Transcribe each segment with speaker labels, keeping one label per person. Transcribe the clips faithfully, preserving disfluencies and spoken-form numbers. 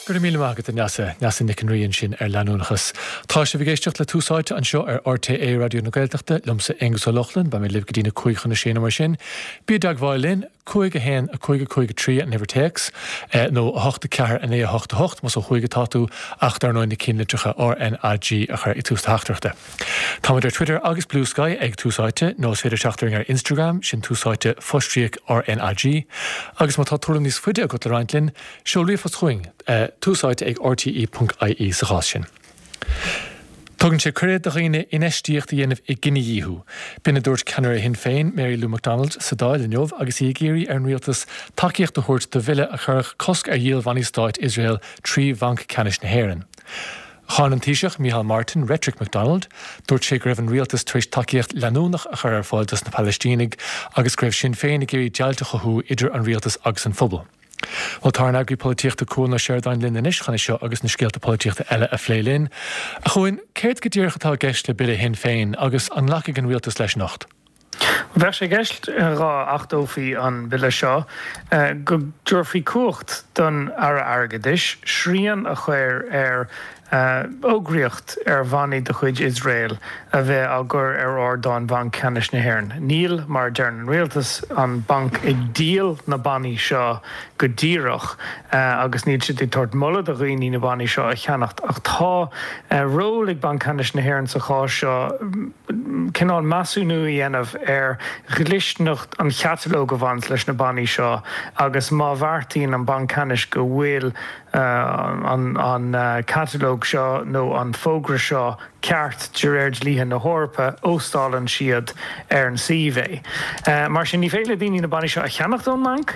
Speaker 1: Go raibh míle maith agat a Neasa Neasa Nic an Rí ansin ar leanúnachas. Tá sibh ag éisteacht le Tús Áite anseo ar RTÉ Raidió na Gaeltachta liomsa Aengus Ó Lochlainn, beidh mé libh go dtí na cúig chun a sé nó mar sin. Bí i dteagmháil linn cúig a haon a cúig a cúig a trí an uimhir téacs nó a hocht a ceathair a naoi a hocht a hocht más ó thuaidh atá tú ach dar ndóigh na cinnlitreacha RNAG a chur i tús teachtaireachta. Táimid ar Twitter agus Blue Sky ag Tús Áite nó is féidir teacht orainn ar Instagram sin Tús Áite fostríoc RNAG, agus má tá tuairim níos faide agat le roinnt linn, seol ríomhphost chugainn uh, túsáite ag rte.ie sa chás sin. Tugann sé cuireadh do dhaoine infheistíocht a dhéanamh i gcinedhíothú. B'in a dúirt ceannaire Shinn Féin Mary Lou McDonald sa Dáil inniu agus í ag iarraidh ar an rialtas tacaíocht a thabhairt do bhille a chuirfeadh cosc ar dhíol bhannaí stáit Iosrael trí Bhanc Ceannais na hÉireann. Cháin an Taoiseach Micheál Martin reitric McDonald, dúirt sé go raibh an rialtas tar éis tacaíocht leanúnach a chur ar fáil dos na Palaistínigh agus go raibh Sinn Féin ag iarraidh deighilt a chothú idir an rialtas agus an phobal. Well tá an eagraí polaitíochta Cuan Ó Seireadáin linn anois chun seo agus na scéalta polaitíochta eile a phlé linn. A Chuain céard go díreach atá i gceist le bille Shinn Féin agus an nglacfaidh an rialtas leis anocht.
Speaker 2: Bheadh sé i gceist dá n-achtófaí an bille seo go dtabharfaí cumhacht don Aire Airgeadais srian a chur ar fhógraíocht ar bhannaí de chuid Iosrael a bheith á gcur ar ardáin Bhanc Ceannais na hÉireann. Níl mar deir an rialtas an banc ag díol na bannaí seo go díreach agus níl siad ag tabhairt moladh do dhaoine na bannaí seo a cheannacht ach tá ról ag Banc Ceannais na hÉireann sa chás seo cineál measúnú a dhéanamh ar dhlisteanacht an chatalóg a bhaineann leis na bannaí seo agus má bheartaíonn an Banc Ceannais go bhfuil an an catalóg seo nó an fógra seo ceart de réir dlíthe na hEorpa óstálann siad ar an suíomh é. Mar sin ní féidir le daoine na bannaí seo a cheannacht ón mbanc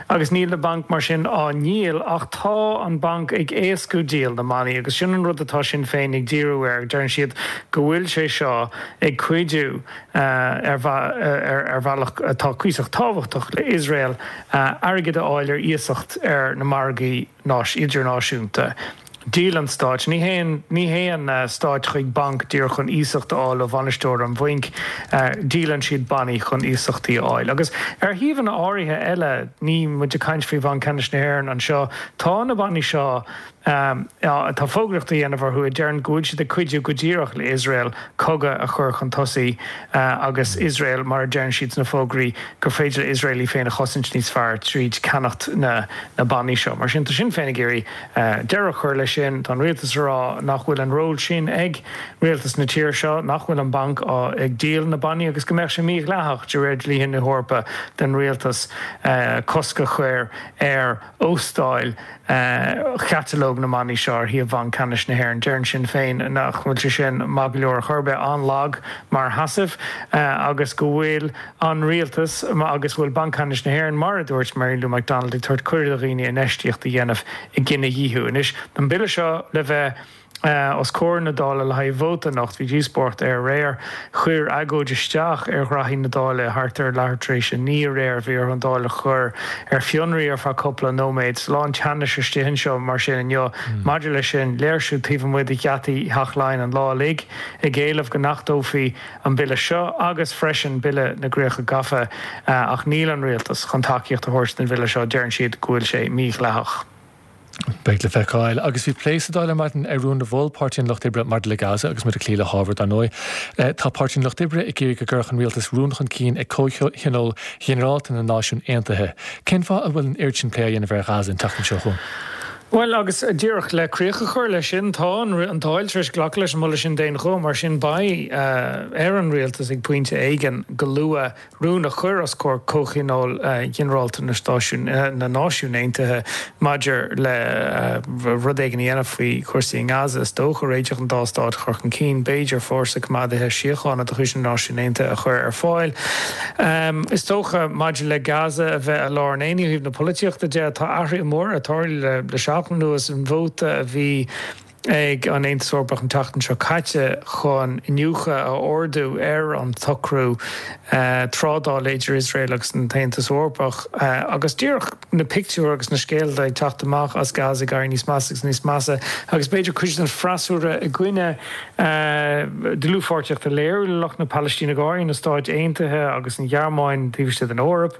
Speaker 2: agus níl na banc mar sin á ndíol ach tá an banc ag éascú díol na mbannaí agus sin an rud atá Sinn Féin ag díriú air deireann siad go bhfuil sé seo ag cuidiú ar ar bhealach atá cuíosach tábhachtach le Iosrael airgead a fháil ar iasacht ar na margaí náis idirnáisiúnta. Díolann stáit ní haon ní haon stáit chuig banc díreach chun iasacht a fháil ó bhainisteoir an bhainc díolann siad bannaí chun iasachtaí a fháil. Agus ar shuíomhanna áirithe eile ní muid ag caint faoi Bhanc Ceannais na hÉireann anseo tá na bannaí seo tá fógraíocht á dhéanamh orthu a deireann go bhfuil siad ag cuidiú go díreach le Iosrael cogadh a chur chun tosaigh agus Iosrael mar a deireann siad sna fógraí gur féidir le Iosrael í féin a chosaint níos fearr tríd ceannacht na na bannaí seo. Mar sin tá Sinn Féin ag iarraidh deireadh a chur leis sin tá an rialtas ag rá nach bhfuil an ról sin ag rialtas na tíre seo nach bhfuil an banc ag díol na bannaí agus go mbeadh sé mídhleathach de réir dlíthe na hEorpa den rialtas cosc a chur ar óstáil chatalóg na mbannaí seo ar shuíomh Bhanc Ceannais na hÉireann. Deireann Sinn Féin nach bhfuil sé sin maith go leor a chur bheith an-lag mar sheasamh agus go bhfuil an rialtas agus bhfuil Banc Ceannais na hÉireann mar a dúirt Mary Lou McDonald ag tabhairt cuireadh do dhaoine infheistíocht a dhéanamh i gcinedhíothú. Anois an bille seo le bheith os comhair na Dála le haghaidh vóta anocht bhí díospóireacht air aréir chuir agóid isteach ar ghraithí na Dála thart ar leathuair tar éis a naoi aréir bhí ar an Dáil a chur ar fionraí ar feadh cúpla nóiméad lán teannais istigh anseo mar sin inniu maidir leis sin léirsiú taobh amuigh de gheataí Theach Laighean an lá uilig ag éileamh go n-achtófaí an bille seo agus freisin bille na gcríocha gafa ach níl an rialtas chun tacaíocht a thabhairt don bhille seo deireann siad go bhfuil sé mídhleathach.
Speaker 1: Beidh le feiceáil agus bhí plé sa Dáil ar maidin ar rún a mhol Páirtí an Lucht Oibre maidir le Gaza agus muid ag cloí le hábhar dar ndóigh. Tá Páirtí an Lucht Oibre ag iarraidh go gcuirfeadh an rialtas rún chun cinn ag Comhthionól Ghinearálta na Náisiún Aontaithe. Cén fáth a bhfuil an oiread sin plé á dhéanamh ar Ghaza an tseachtain seo chugainn?
Speaker 2: Well agus díreach le críoch a chur leis sin tá an Dáil tar éis glacadh leis an moladh sin d'aon ghuth mar sin beidh ar an rialtas ag pointe éigin go luath rún a chur os comhair Comhthionól Ghinearálta na Stáisiún na Náisiún Aontaithe maidir le rud éigin a dhéanamh faoi chúrsaí i nGaza is dócha réiteach an dá stát chur chun cinn b'fhéidir fórsa coimeádaithe síochána de chuid na Náisiún Aontaithe a chur ar fáil. Um, is dócha maidir le Gaza a bheith i lár an aonaigh ó thaobh na polaitíochta de tá athruithe móra ag tarlú le le seachtain anuas an vóta a bhí ag an Aontas Eorpach an tseachtain seo caite chun iniúchadh a ordú ar an tsocrú trádála idir Iosrael agus an tAontas Eorpach agus díreach na pictiúir agus na scéalta ag teacht amach as Gaza ag éirí níos measa agus níos measa agus b'fhéidir cuid den freasúra i gcoinne dlúthpháirtíocht a léiriú le lucht na Palaistíne go háirithe na Stáit Aontaithe agus an Ghearmáin taobh istigh den Eoraip.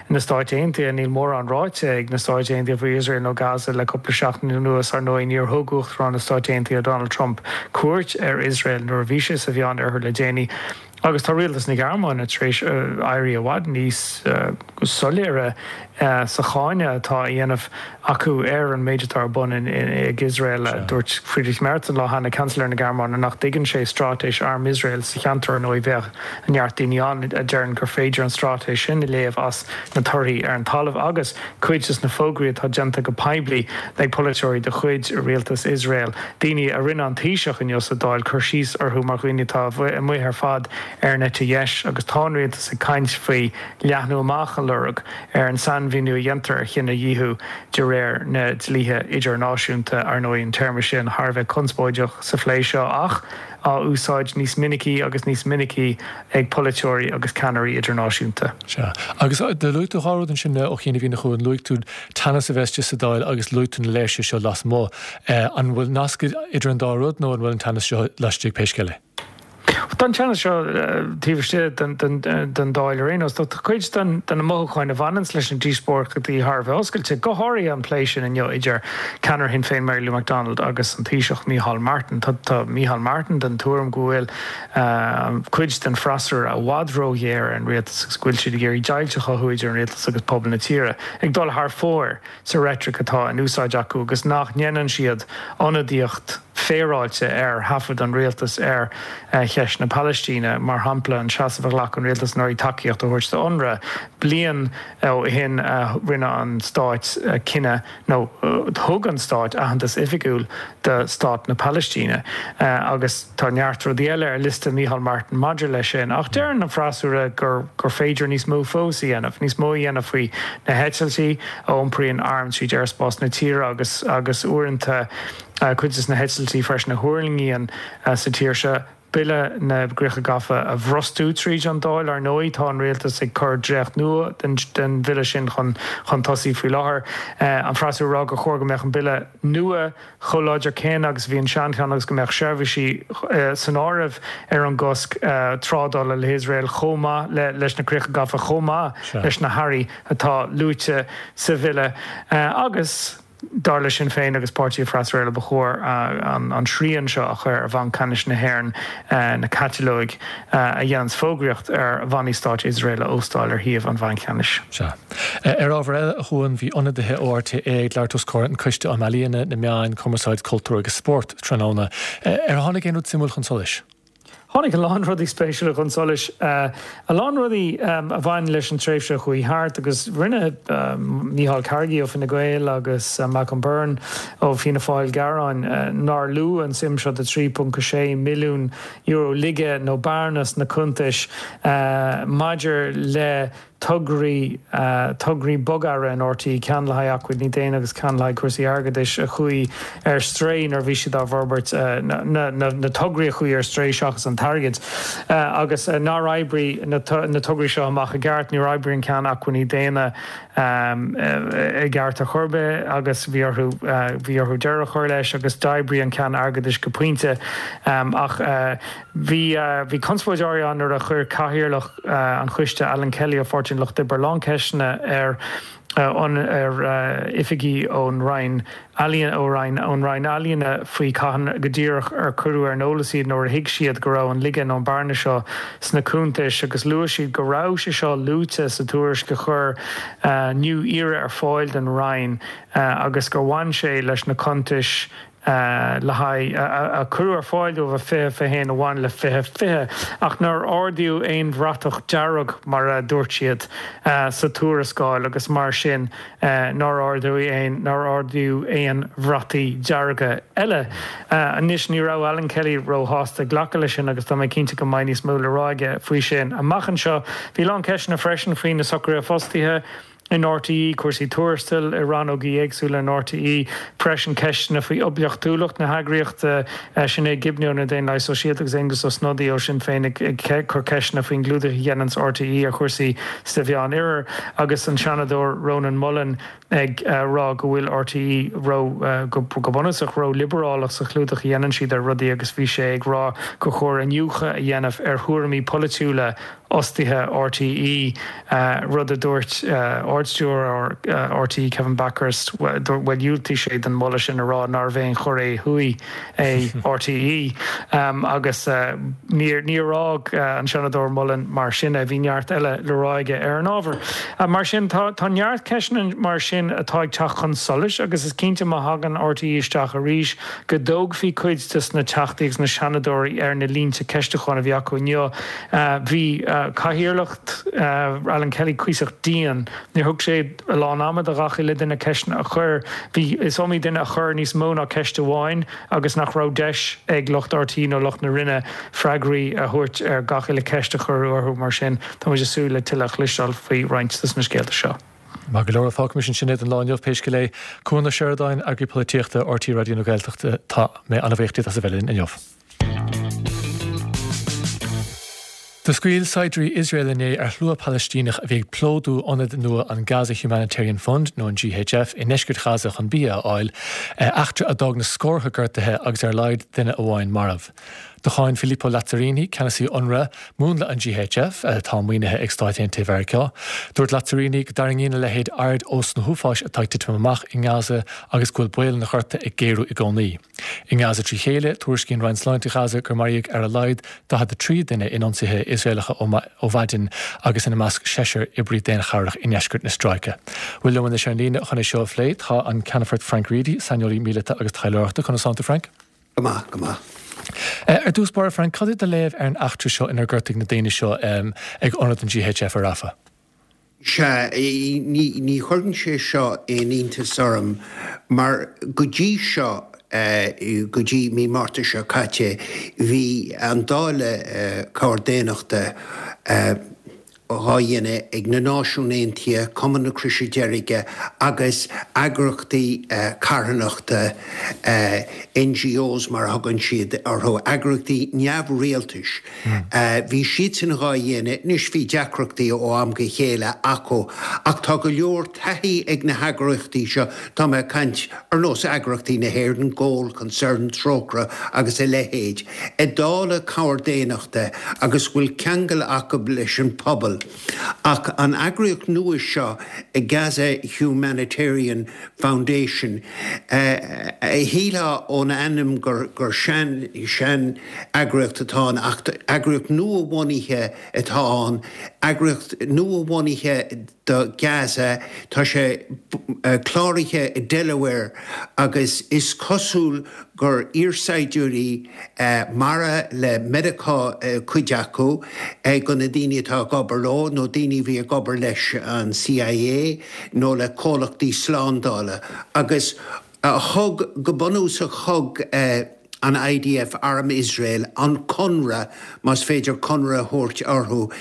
Speaker 2: Na Stáit Aontaithe níl mórán ráite ag na Stáit Aontaithe faoi Iosrael nó Gaza le cúpla seachtain anuas ar ndóigh níor thug Uachtarán na Stáit Aontaithe Donald Trump cuairt ar Iosrael nuair a bhí sé sa Mheánoirthear le déanaí. Agus tá rialtas na Gearmáine tar éis éirí i bhfad níos soiléire sa cháineadh atá á dhéanamh acu ar an méid atá ar bun ag Iosrael. Dúirt Friedrich Merz an lá cheana, Seansailéir na Gearmáine, nach dtuigeann sé straitéis arm Iosrael sa cheantar. Ar ndóigh bheadh neart daoine ann a deireann gur féidir an straitéis sin a léamh as na torthaí ar an talamh agus cuid de na fógraí atá déanta go poiblí ag polaiteoirí de chuid rialtas Iosrael, daoine a rinne an Taoiseach inniu sa Dáil cur síos orthu mar dhaoine atá amuigh ar fad ar an eite dheis agus tá an rialtas ag caint faoi leathnú amach a lorg ar an sainmhíniú a dhéantar ar chinedhíothú de réir na dlíthe idirnáisiúnta. Ar ndóigh an téarma sin thar a bheith conspóideach sa phlé seo ach á úsáid níos minicí agus níos minicí ag polaiteoirí agus ceannairí idirnáisiúnta.
Speaker 1: Sea. Agus do luaigh tú dhá rud ansin ó chianaibh a Chuain, luaigh tú teannas a bheith istigh sa Dáil agus luaigh tú na léirsithe seo lasmuigh. An bhfuil nasc idir an dá rud nó an bhfuil an teannas seo laistigh pé scéal é?
Speaker 2: Tá an teannas seo taobh istigh den Dáil ar aon nós. Tá cuid de na mothúcháin a bhaineanns leis na díospóireachtaí thar a bheith oscailte, go háirithe an plé sin inniu idir ceannaire Shinn Féin Mary Lou McDonald agus an Taoiseach Micheál Martin. Tá Micheál Martin den tuairim go bhfuil cuid den freasúra i bhfad róghéar ar an rialtas agus go bhfuil siad ag iarraidh deighilt a chothú idir an rialtas agus pobal na tíre, ag dul thar fóir sa reitric atá in úsáid acu agus nach ndéanann siad ionadaíocht féaráilte ar thaifead an rialtais ar cheist na Palaistíne, mar shampla an seasamh a ghlac an rialtas anuraidh tacaíocht a thabhairt do UNRWA. Bliain ó shin rinne an stát cinneadh nó thug an stát aitheantas oifigiúil do stát na Palaistíne agus tá neart rudaí eile ar liosta Micheál Martin maidir leis sin. Ach deireann an freasúra gur gur féidir níos mó fós a dhéanamh, níos mó a dhéanamh faoi na heitiltí a iompraíonn airm tríd aerspás na tíre agus agus uaireanta cuid de na heitiltí freisin a thuirlingíonn sa tír seo. Bille na gCríocha Gafa a bhrostú tríd an Dáil. Ar ndóigh, tá an rialtas ag cur dréacht nua den den bhille sin chun chun tosaigh faoi láthair. An freasúra ag rá gur chóir go mbeadh an bille nua chomh láidir céanna agus a bhí an seancheann agus go mbeadh seirbhísí san áireamh ar an gcosc trádála le hIosrael chomh maith le leis na Críocha Gafa chomh maith leis na hearraí atá luaite sa bhille. Agus. Dar le Sinn Féin agus páirtithe freasúra eile ba chóir an srian seo a chur ar Bhanc Ceannais na hÉireann na catalóig a dhéananns fógraíocht ar bhannaí stáit Iosrael a óstáil ar shuíomh an Bhainc Cheannais.
Speaker 1: Sea. Ar ábhar eile, a Chuain, bhí ionadaithe ó RTÉ ag labhairt os comhair an Coiste um Ealaíona, na Meáin, Cumarsáid, Cultúr agus Spórt tráthnóna. Ar tháinig aon rud suimiúil chun solais?
Speaker 2: Tháinig a lán rudaí spéisiúla chun solais, a lán rudaí a bhain leis an tréimhse a chuaigh thart agus rinne Micheál Carrigy ó Fine Gael agus Malcolm Byrne ó Fianna Fáil gearán nár luadh an tsuim seo de trí ponc sé milliún euro laige nó bearna sna cuntais maidir le tograí tograí bogearra in RTÉ, ceann le haghaidh acmhainní daonna agus ceann le haghaidh cúrsaí airgeadais a chuaigh ar strae nuair a bhí siad á bhforbairt, na tograí a chuaigh ar strae seachas an t-airgead, agus nár oibrigh na tograí seo amach i gceart, níor oibrigh an ceann acmhainní daonna i gceart ar chor ar bith agus bhí orthu bhí orthu deireadh a chur leis agus d'oibrigh an ceann airgeadais go pointe ach bhí bhí conspóid áirithe ann nuair a chuir cathaoirleach an choiste Alan Kelly ó Pháirtí an Lucht Oibre a lán ceisteanna ar an ar oifigigh ón Roinn Ealaíon ó Roinn ón Roinn Ealaíona faoi cathain go díreach ar cuireadh ar an eolas iad nó ar thuig siad go raibh an laige nó an bearna seo sna cuntais agus luaigh siad go raibh sé seo luaite sa tuairisc a chuir New Era ar fáil don Roinn agus gur bhain sé leis na cuntais le haghaidh a cuireadh ar fáil dóibh i fiche fiche haon a bhain le fiche fiche, ach nár ardaíodh aon bhratach dearg, mar a dúirt siad, sa tuarascáil agus mar sin nár ardaíodh aon nár ardaíodh aon bhrataí dearga eile. Anois ní raibh Alan Kelly róshásta glacadh leis sin agus tá mé cinnte go mbeidh níos mó le rá aige faoi sin amach anseo. Bhí a lán ceisteanna freisin faoi na socruithe fostaithe. in R T E, cúrsaí tuarastail i rannógaí éagsúla in R T E, freisin ceisteanna faoi oibiachtúlacht na heagraíochta. Sinéad Gibney ó na Daonlathaithe Sóisialta agus Aengus Ó Snodaigh ó Sinn Féin ag cur ceisteanna faoin gclúdach a dhéananns R T E ar chúrsaí sa Mheánoirthear, agus an Seanadóir Rónán Mullen ag rá go bhfuil R T E ró go bunúsach ró-liobrálach sa chlúdach a dhéanann siad ar rudaí, agus bhí sé ag rá gur chóir iniúchadh a dhéanamh ar thuairimí polaitiúla fhostaithe R T E, rud a dúirt Ardstiúrthóir R T E Kevin Bakhurst, bhuel, dhiúltaigh sé don mholadh sin, a rá nárbh aon Chóiré Thuaidh é R T E, agus níor níor fhág an Seanadóir Mullen mar sin é, bhí neart eile le rá aige ar an ábhar. Mar sin tá tá neart ceisteanna mar sin atá ag teacht chun solais, agus is cinnte má thagann R T E isteach arís go dtógfaí cuid de na teachtaí agus na seanadóirí ar na línte ceistiúcháin a bhí acu inniu. Bhí cathaoirleacht Alan Kelly cuíosach dian. Níor thug sé a lán ama do gach uile duine ceisteanna a chur. Bhí is iomaí duine a chuir níos mó ná ceist amháin agus nach raibh deis ag lucht R T E nó lucht na Roinne freagraí a thabhairt ar gach uile ceist a cuireadh orthu. Mar sin tá muid ag súil le tuilleadh a chloisteáil faoi roinnt de na scéalta seo.
Speaker 1: Mar go leor, fágaimis ansin é don lá inniu, pé scéal é. Cuan Ó Seireadáin, Eagraí Polaitíochta R T E Raidió na Gaeltachta, tá mé an-bhuíoch díot as a bheith linn inniu. Do scaoil saighdiúirí Iosrael inné ar shlua Palaistíneach a bhí ag plódú ionad nua an Gaza Humanitarian Fund, nó an G H F, i ndeisceart Ghaza chun bia a fháil, eachtra a d'fhág na scórtha gortaithe agus ar a laghad duine amháin marbh. Do cháin Filippo Lazzarini, ceannasaí UNRWA, múnla an G H F, atá maoinithe ag Stáit Aontaithe Mheiriceá. Dúirt Lazzarini go dtarraingíonn a leithéid aird ós na huafáis atá ag titim amach i nGaza agus go bhfuil baol an ghorta ag géarú i gcónaí. I nGaza trí chéile, tuairiscíonn Roinn Sláinte Ghaza gur maraíodh ar a laghad daichead a trí duine in ionsaithe Iosraelacha ó mhaidin, agus ina measc seisear oibrí daonchabhrach i ndeisceart na Stráice. Bhuel, liom anois ar an líne chun é seo a phlé tá an Ceannfort Frank Reidy, saineolaí míleata agus taidhleoireachta. Conas tánn tú, Frank?
Speaker 3: Go maith, go maith.
Speaker 1: Ar dtús báire, Frank, cad é do léamh ar an eachtra seo inar gortaíodh na daoine seo ag ionad an G H F ar Rafah?
Speaker 3: Sea, ní ní chuireann sé seo aon iontas orm, mar go dtí seo, go dtí mí Márta seo caite, bhí an dáileadh cabhair daonnachta dhá dhéanamh ag na Náisiúin Aontaithe, Cumann na Croise Deirge agus eagraíochtaí carthanachta, N G Os mar a thugann siad orthu, eagraíochtaí neamhrialtais. Bhí siadsan dhá dhéanamh. Anois bhí deacrachtaí ó am go chéile acu, ach tá go leor taithí ag na heagraíochtaí seo, tá mé ag caint ar nós eagraíochtaí na hÉireann, Goal, Concern, Trócaire agus a leithéid, ag dáileadh cabhair daonnachta agus go bhfuil ceangal acu leis an pobal. Ach an eagraíocht nua seo, Gaza Humanitarian Foundation, shílfeá ón ainm gur gur sean sean eagraíocht atá ann, ach eagraíocht nua-bhunaithe atá ann, eagraíocht nua-bhunaithe do Gaza. Tá sé cláraithe i Delaware agus is cosúil gur iarshaighdiúirí mara le Meiriceá cuid acu go na daoine atá ag obair leo, nó daoine a bhí ag obair leis an C I A nó le comhlachtaí slándála, agus thug go bunúsach thug an I D F, Arm Iosrael, an conradh, más féidir conradh a thabhairt orthu,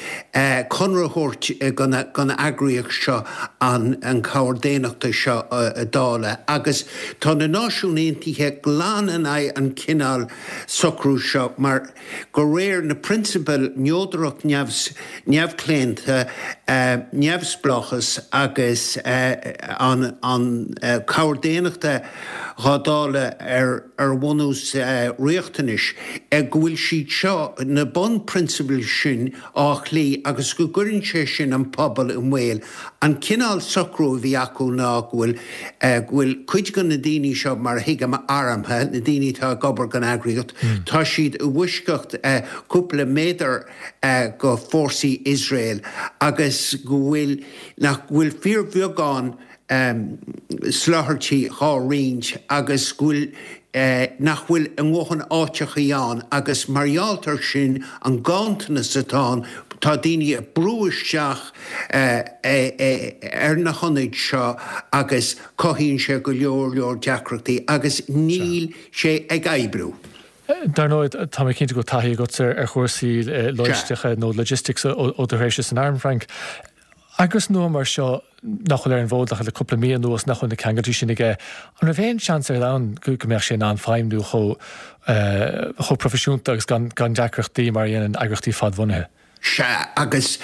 Speaker 3: conradh a thabhairt don eagraíocht seo an an cabhair daonnachta seo a dháileadh. Agus tá na Náisiúin Aontaithe glan in aghaidh an cineál socrú seo, mar go réir na prionsabail neodracht, neamhchlaonta, neamhspleáchas agus an an cabhair daonnachta dhá dáileadh ar ar bhunús riachtanais, go bhfuil siad seo, na bunphrionsabail sin, á chloí agus go gcuireann sé sin an pobal i mbaol. An cineál socrú a bhí acu ná go bhfuil go bhfuil cuid de na daoine seo, mar a thuigim, armtha, na daoine atá ag obair don eagraíocht, tá siad i bhfoisceacht cúpla méadar go fórsaí Iosrael, agus go bhfuil nach bhfuil fíorbheagán soláthairtí dhá roinnt agus go bhfuil nach bhfuil a ndóthain áiteachaí ann, agus mar gheall air sin, an ganntanas atá ann, tá daoine ag brú isteach ar na hionaid seo agus cothaíonn sé go leor leor deacrachtaí agus níl sé ag oibriú.
Speaker 1: Dar ndóigh, tá mé cinnte go taithí agat ar chúrsaí lóisteacha nó logistics ó do thréimhse san arm, Frank. Eagras nua mar seo nach bhfuil ar an bhfód ach le cúpla mí anuas nach bhfuil na ceangailtí sin aige, an raibh aon seans ar domhan go mbeadh sé in ann feidhmiú chomh chomh proifisiúnta agus gan gan deacrachtaí mar a dhéanann eagraíochtaí fadbhunaithe?
Speaker 3: Sea, agus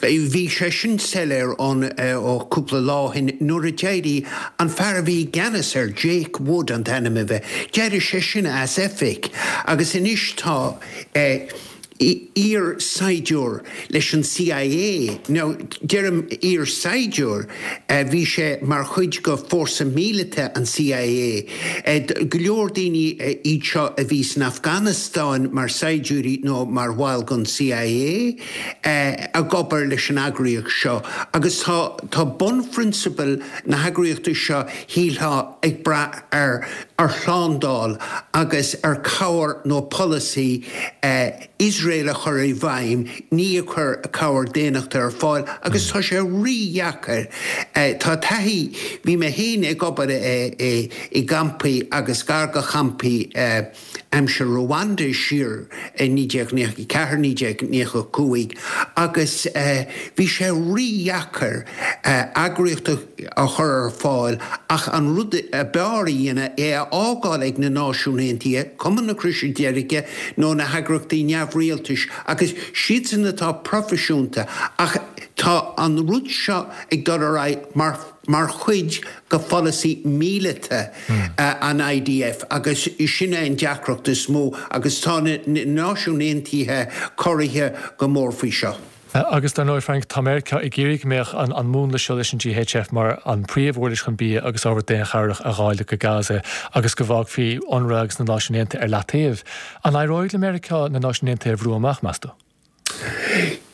Speaker 3: bhí sé sin soiléir ón ó cúpla lá ó shin nuair a d'éirigh an fear a bhí i gceannas air, Jake Wood an t-ainm a bhí, d'éirigh sé sin as oifig agus anois tá eh, iar-saighdiúir leis an CIA, nó deirim iar-saighdiúir, bhí sé mar chuid de fórsa míleata an CIA. Go leor daoine iad seo a bhí san Afganastáin mar saighdiúirí nó mar bhaill den CIA ag obair leis an eagraíocht seo agus tá tá bunphrionsabail na heagraíochta seo shílfeá ag brath ar ar shlándáil agus ar cabhair nó polasaí Iosrael a chur i bhfeidhm, ní ag cur cabhair daonnachta ar fáil agus tá sé rídheacair. Tá taithí, bhí mé féin ag obair i gcampaí agus gar do champaí aimsir Rwanda siar i naoi déag nócha a ceathair, naoi déag nócha a cúig agus bhí sé rídheacair eagraíocht a chur ar fáil ach an rud ab fhearr a dhéanamh é a fhágáil ag na Náisiúin Aontaithe, Cumann na Croise Deirge nó na heagraíochtaí neamhrialtais agus siadsan atá proifisiúnta ach tá an rud seo ag dul ar aghaidh mar mar chuid de pholasaí míleata an IDF agus sin é an deacracht is mó agus tá na Náisiúin Aontaithe corraithe go mór faoi seo.
Speaker 1: Agus dar ndóigh, Frank, tá Meiriceá ag iarraidh go mbeadh an an múnla seo leis an GHF mar an príomhuirlis chun bia agus ábhar daonchabhrach a dháileadh go Gaza agus go bhfágfaí UNRWA agus na Náisiúin Aontaithe ar leataobh. An éireoidh le Meiriceá na Náisiúin Aontaithe a bhrú amach, meas tú?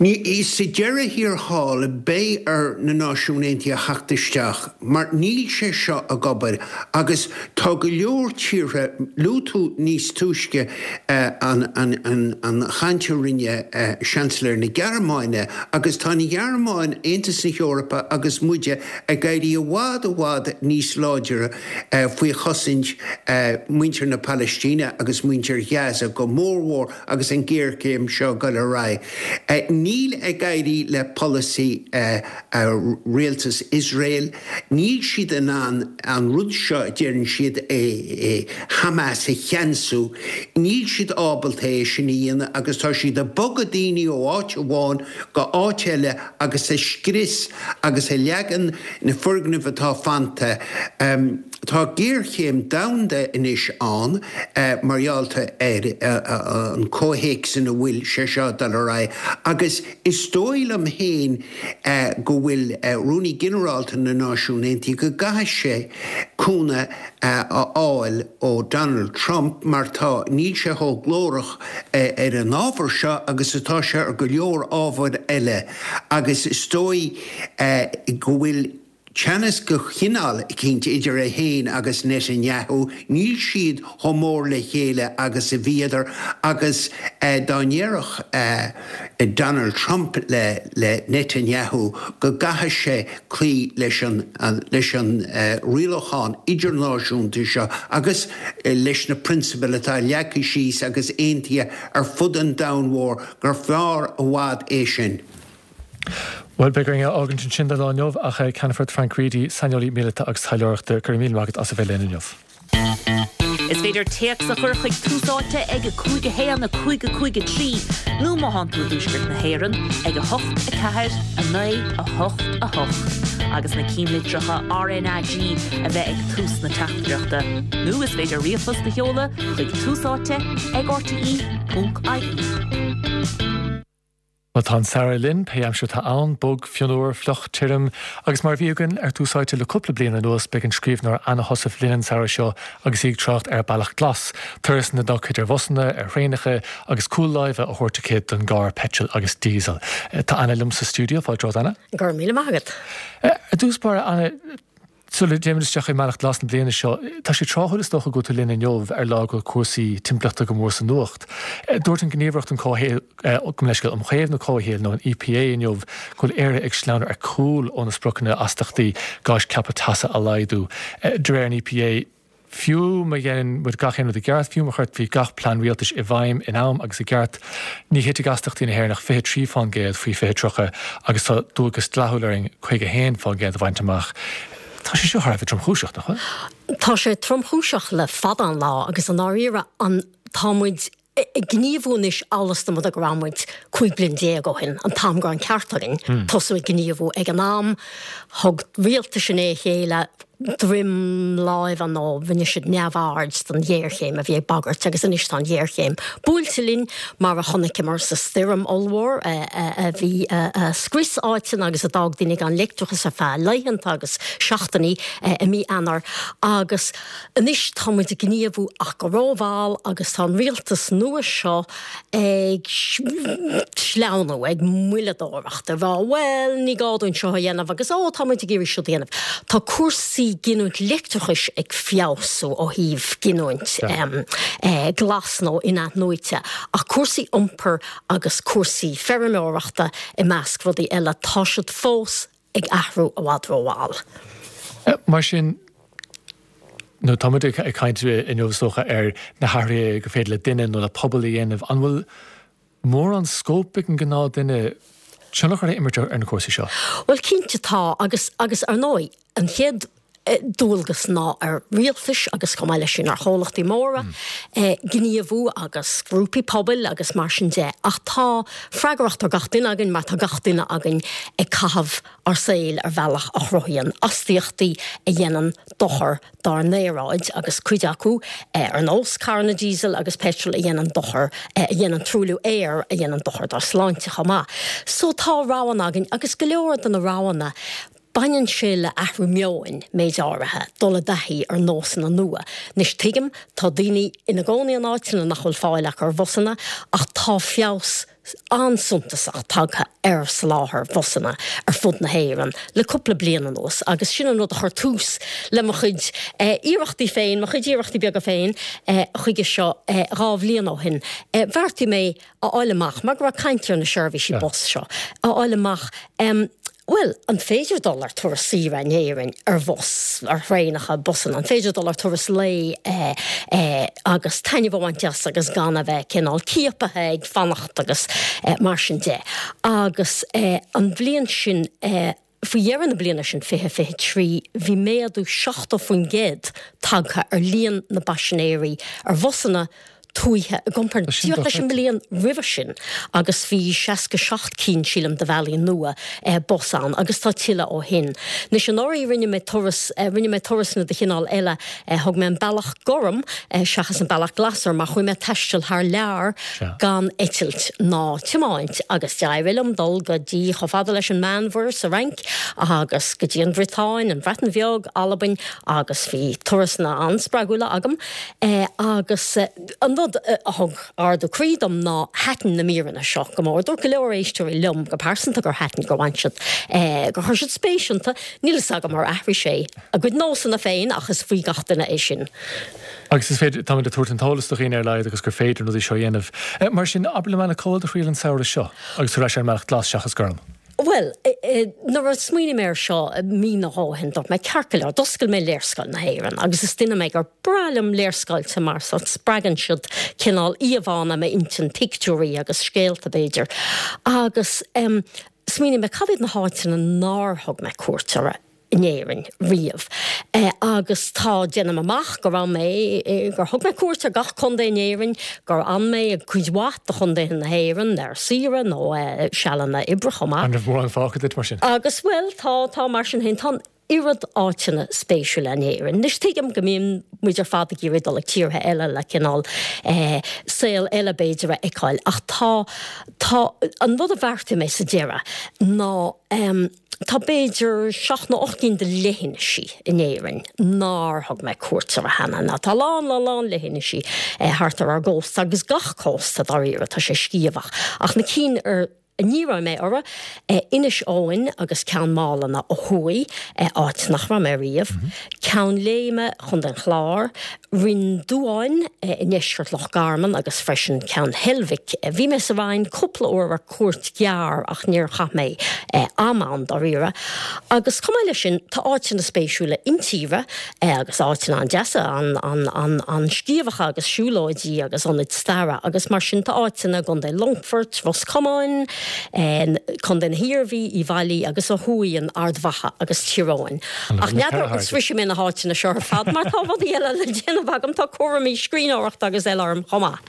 Speaker 3: Ní, sa deireadh thiar thall, beidh ar na Náisiúin Aontaithe theacht isteach mar níl sé seo ag obair agus tá go leor tíortha, luaigh tú níos túisce an an chaint a rinne Seansailéir na Gearmáine agus tá an Ghearmáin, Aontas na hEorpa agus muide ag éirí i bhfad i bhfad níos láidre faoi chosaint muintir na Palaistíne agus muintir Ghaza go mórmhór agus an ghéarchéim seo ag dul ar aghaidh. Níl ag éirí le polasaí rialtas Iosrael. Níl siad in ann an rud seo a deireann siad Hamas a cheansú. Níl siad ábalta é sin a dhéanamh agus tá siad ag bogadh daoine ó áit amháin go áit eile agus ag scrios agus ag leagan na foirgnimh atá fanta. Tá géarchéim domhanda anois ann mar gheall ar an comhthéacs ina bhfuil sé seo ag dul ar aghaidh agus is dóigh liom féin go bhfuil Rúnaí Ginearálta na Náisiún Aontaithe go gcaithfidh sé cúnamh a fháil ó Donald Trump mar tá níl sé chomh glórach ar an ábhar seo agus atá sé ar go leor ábhair eile agus is dóigh go bhfuil teannas de chineál eicínt idir é féin agus Netanyahu, níl siad chomh mór le chéile agus a bhíodar agus dá ndéarfadh Donald Trump le le Netanyahu go gcaithfidh sé cloí leis an leis an rialachán idirnáisiúnta seo agus leis na prionsabail atá leagtha síos agus aontaithe ar fud an domhain mhóir gur fearr i bhfad é sin.
Speaker 1: Bhuel, beidh orainn é a fhágaint ansin don lá inniu, ach Ceannfort Frank Reidy, saineolaí míleata agus taidhleoireachta, go raibh míle maith agat as a bheith linn inniu.
Speaker 4: Is féidir téacs a chur chuig Tús Áite ag a cúig a haon a cúig a cúig a trí nó má thánn tú i dtuaisceart na hÉireann ag a hocht a ceathair a naoi a hocht a hocht agus na cinnlitreacha RnaG a bheith ag tús na teachtaireachta. Nó is féidir ríomhphost a sheoladh chuig Tús Áite ag rte ponc ie.
Speaker 1: Bhuel, tá an samhradh linn, pé aimsir atá ann, bog, fionnuar, fliuch, tirim, agus mar a bhí againn ar Tús Áite le cúpla bliain anuas, beidh an scríbhneoir Anna Heussaff linn an samhradh seo agus í ag trácht ar Bealach Glas, turas ina dtugtha idir bhusanna, ar thraenacha agus cúl láimhe á thabhairt aici don gcarr peitril agus díosal. Tá Anna liom sa stiúideo, fáilte romhat Anna.
Speaker 5: Go raibh míle maith agat.
Speaker 1: Ar dtús báire, Anna, Sula dtéimid isteach i mBealach Glas na bliana seo, tá sé tráthúil is dócha go bhfuil tú linn inniu ar lá go bhfuil cúrsaí timpeallachta go mór sa nuacht. Dúirt an Ghníomhaireacht um Chomhshaol, gabh mo leithscéal, um Chaomhnú Comhshaoil nó an EPA inniu go bhfuil Éire ag sleamhnú ar cúl óna spriocanna astachtaí gáis ceaptha teasa a laghdú. De réir an EPA, Fiú má dhéanann muid gach aon rud i gceart, fiú má chuirfí gach plean rialtais i bhfeidhm in am agus i gceart, ní thitfidh astaíochtaí na hÉireann ach fiche trí fán gcéad faoi fiche tríocha agus tá dualgas dlíthiúil orainn caoga haon fán gcéad a bhaint amach. Tá sé seo thar a bheith tromchúiseach, nach bhfuil?
Speaker 5: Tá sé tromchúiseach le fada an lá agus i ndáiríre an tá muid ag gníomhú anois amhail is dá mba go raibh muid cúig bliana déag ó shin, an t-am go raibh an ceart againn tosú ag gníomhú ag an am. Thug rialtais i ndiaidh a chéile droim láimhe nó rinne siad neamhaird den ghéarchéim a bhí ag bagairt agus anois tá an ghéarchéim buailte linn mar a chonaiceamar sa stoirm ollmhór a bhí a scrios áiteanna agus a d'fhág daoine gan leictreachas ar feadh laethanta agus seachtainí i mí Eanáir agus anois tá muid ag gníomhú ach go rómhall agus tá an rialtas nua seo ag sleamhnú, ag moilleadóireacht, ag rá bhuel ní gá dúinn seo a dhéanamh agus ó tá muid ag iarraidh siúd a dhéanamh. Tá cúrsaí giniúint leictreachais ag feabhsú ó thaobh giniúint glas nó in-athnuaite ach cúrsaí iompair agus cúrsaí feirmeoireachta i measc rudaí eile, tá siad fós ag athrú i bhfad rómhall.
Speaker 1: Mar sin, nó tá muid ag caint inniu is dócha ar na hathruithe gur féidir le duine nó le pobal a dhéanamh, an bhfuil mórán scóip ag an gnáthduine tionchar a imirt ar na cúrsaí seo?
Speaker 5: Bhuel cinnte tá agus agus ar ndóigh an chéad dualgas ná ar rialtais agus chomh maith leis sin ar chomhlachtaí móra gníomhú agus grúpaí pobail agus mar sin de. Ach tá freagracht ar gach duine againn mar tá gach duine againn ag caitheamh ár saoil ar bhealach a chruthaíonn astaíochtaí a dhéanann dochar dár n-aeráid agus cuid acu ar nós carranna diesel agus peitril a dhéanann dochar, a dhéanann truailliú aeir a dhéanann dochar dár sláinte chomh maith. So tá roghanna againn agus go leor de na roghanna, baineann sé le athrú meoin, méid áirithe, dul i dtaithí ar nósanna nua. Anois tuigim, tá daoine ina gcónaí in áiteanna nach bhfuil fáil acu ar bhusanna ach tá feabhas an-suntasach tagtha ar soláthar busanna ar fud na hÉireann le cúpla bliain anuas agus sin an rud a chuir tús le mo chuid iarrachtaí féin, mo chuid iarrachtaí beaga féin chuige seo dhá bhliain ó shin. Bheartaigh mé a fháil amach, mar go raibh caint ar na seirbhísí bus seo, a fháil amach Bhuel, an féidir dul ar turas saoire in Éirinn ar bhus, ar thraenacha, busanna? An féidir dul ar turas lae agus taitneamh a bhaint as agus gan a bheith cineál ciapaithe ag fanacht agus mar sin de? Agus an bhliain sin, faoi dheireadh na bliana sin, fiche fiche trí, bhí méadú seachtó faoin gcéad tagtha ar líon na bpaisinéirí ar bhusanna tuaithe i gcomparáid díreach leis an mbliain roimhe sin agus bhí seasca seacht cinn, sílim, de bhealaí nua bus ann agus tá tuilleadh ó shin. Anois anuraidh rinne mé turas, rinne mé turasanna de chineál eile, thug mé an bealach gorm seachas an bealach glas orm mar chuaigh mé ag taisteal thar lear gan eitilt ná tiomáint agus d'éirigh liom dul go dtí chomh fada leis an Meánmhuir sa Fhrainc agus go dtí an Bhriotáin, an Bhreatain Bheag, Albain agus bhí turasanna an-spreagúla agam agus an rud a thug ardú croí dom ná thaitin na míreanna seo go mór. Dúirt go leor éisteoirí liom go pearsanta gur thaitin, gur bhain siad, gur chuir siad spéis iontu. Níl fhios agam ar athraigh sé a gcuid nósanna féin ach is faoi gach duine é sin.
Speaker 1: Agus is féidir, táimid ag tabhairt an t-eolas do dhaoine ar a laghad agus gur féidir na rudaí seo a dhéanamh. Mar sin, abair liom Anna, cá bhfuil do thriall an samhradh seo agus tú ar ais ar an mbealach glas seachas gorm?
Speaker 5: Bhuel, nuair a smaoinigh mé air seo mí nó dhó ó shin, dúirt mé, ceart go leor, d'oscail mé léarscáil na hÉireann agus is duine mé gur breá liom léarscáilte mar sórt spreagann siad cineál íomhánna i m'intinn, pictiúirí agus scéalta b'fhéidir. Agus smaoinigh mé, cad iad na háiteanna nár thug mé cuairt orthu? in Éirinn riamh. Agus tá, déanaim amach go raibh mé, gur thug mé cuairt ar gach contae in Éirinn, gur fhan mé i gcuid mhaith de chontaetha na hÉireann ar saoire nó sealanna oibre chomh maith.
Speaker 1: An raibh mórán fágtha duit mar sin?
Speaker 5: Agus, bhuel, tá, tá mar sin féin, tá an oiread áiteanna spéisiúla in Éirinn. Anois tuigim go mbíonn muid ar fad ag iarraidh dul ag tíortha eile le cineál saol eile b'fhéidir a fheiceáil ach tá, tá, an rud a bheartaigh mé sa deireadh ná, Tá b'fhéidir seacht nó ocht gcinn de leithinisí in Éirinn nár thug mé cuairt orthu cheana. Ná tá a lán, lán, lán leithinisí thart ar ár gcósta agus gach cósta dáiríre, tá sé sciamhach. Ach na cinn ar a ní raibh mé orthu, Inis Eoghain agus Ceann Málanna ó thuaidh, áit nach raibh mé riamh, Ceann Léime, Chontae an Chláir, Rinn Duáin i ndeisceart Loch Garman agus freisin Ceann Heilbhic. Bhí mé sa Rinn cúpla uair ar cuairt ghearr ach níor chaith mé am ann dáiríre. Agus chomh maith leis sin tá áiteanna spéisiúla intíre agus áiteanna an-deasa, an-sciamhacha agus siúlóidí agus ionaid staire agus mar sin tá áiteanna i gContae Longfoirt, Ros Comáin, Contae na hIarmhí, Uíbh Fhailí agus ó thuaidh in Ard Mhacha agus Tír Eoghain. Ach n'fheadar an sroisfidh mé na háiteanna seo ar fad mar tá rudaí eile le déanamh agam, tá cúraimí scríbhneoireachta agus eile orm chomh maith.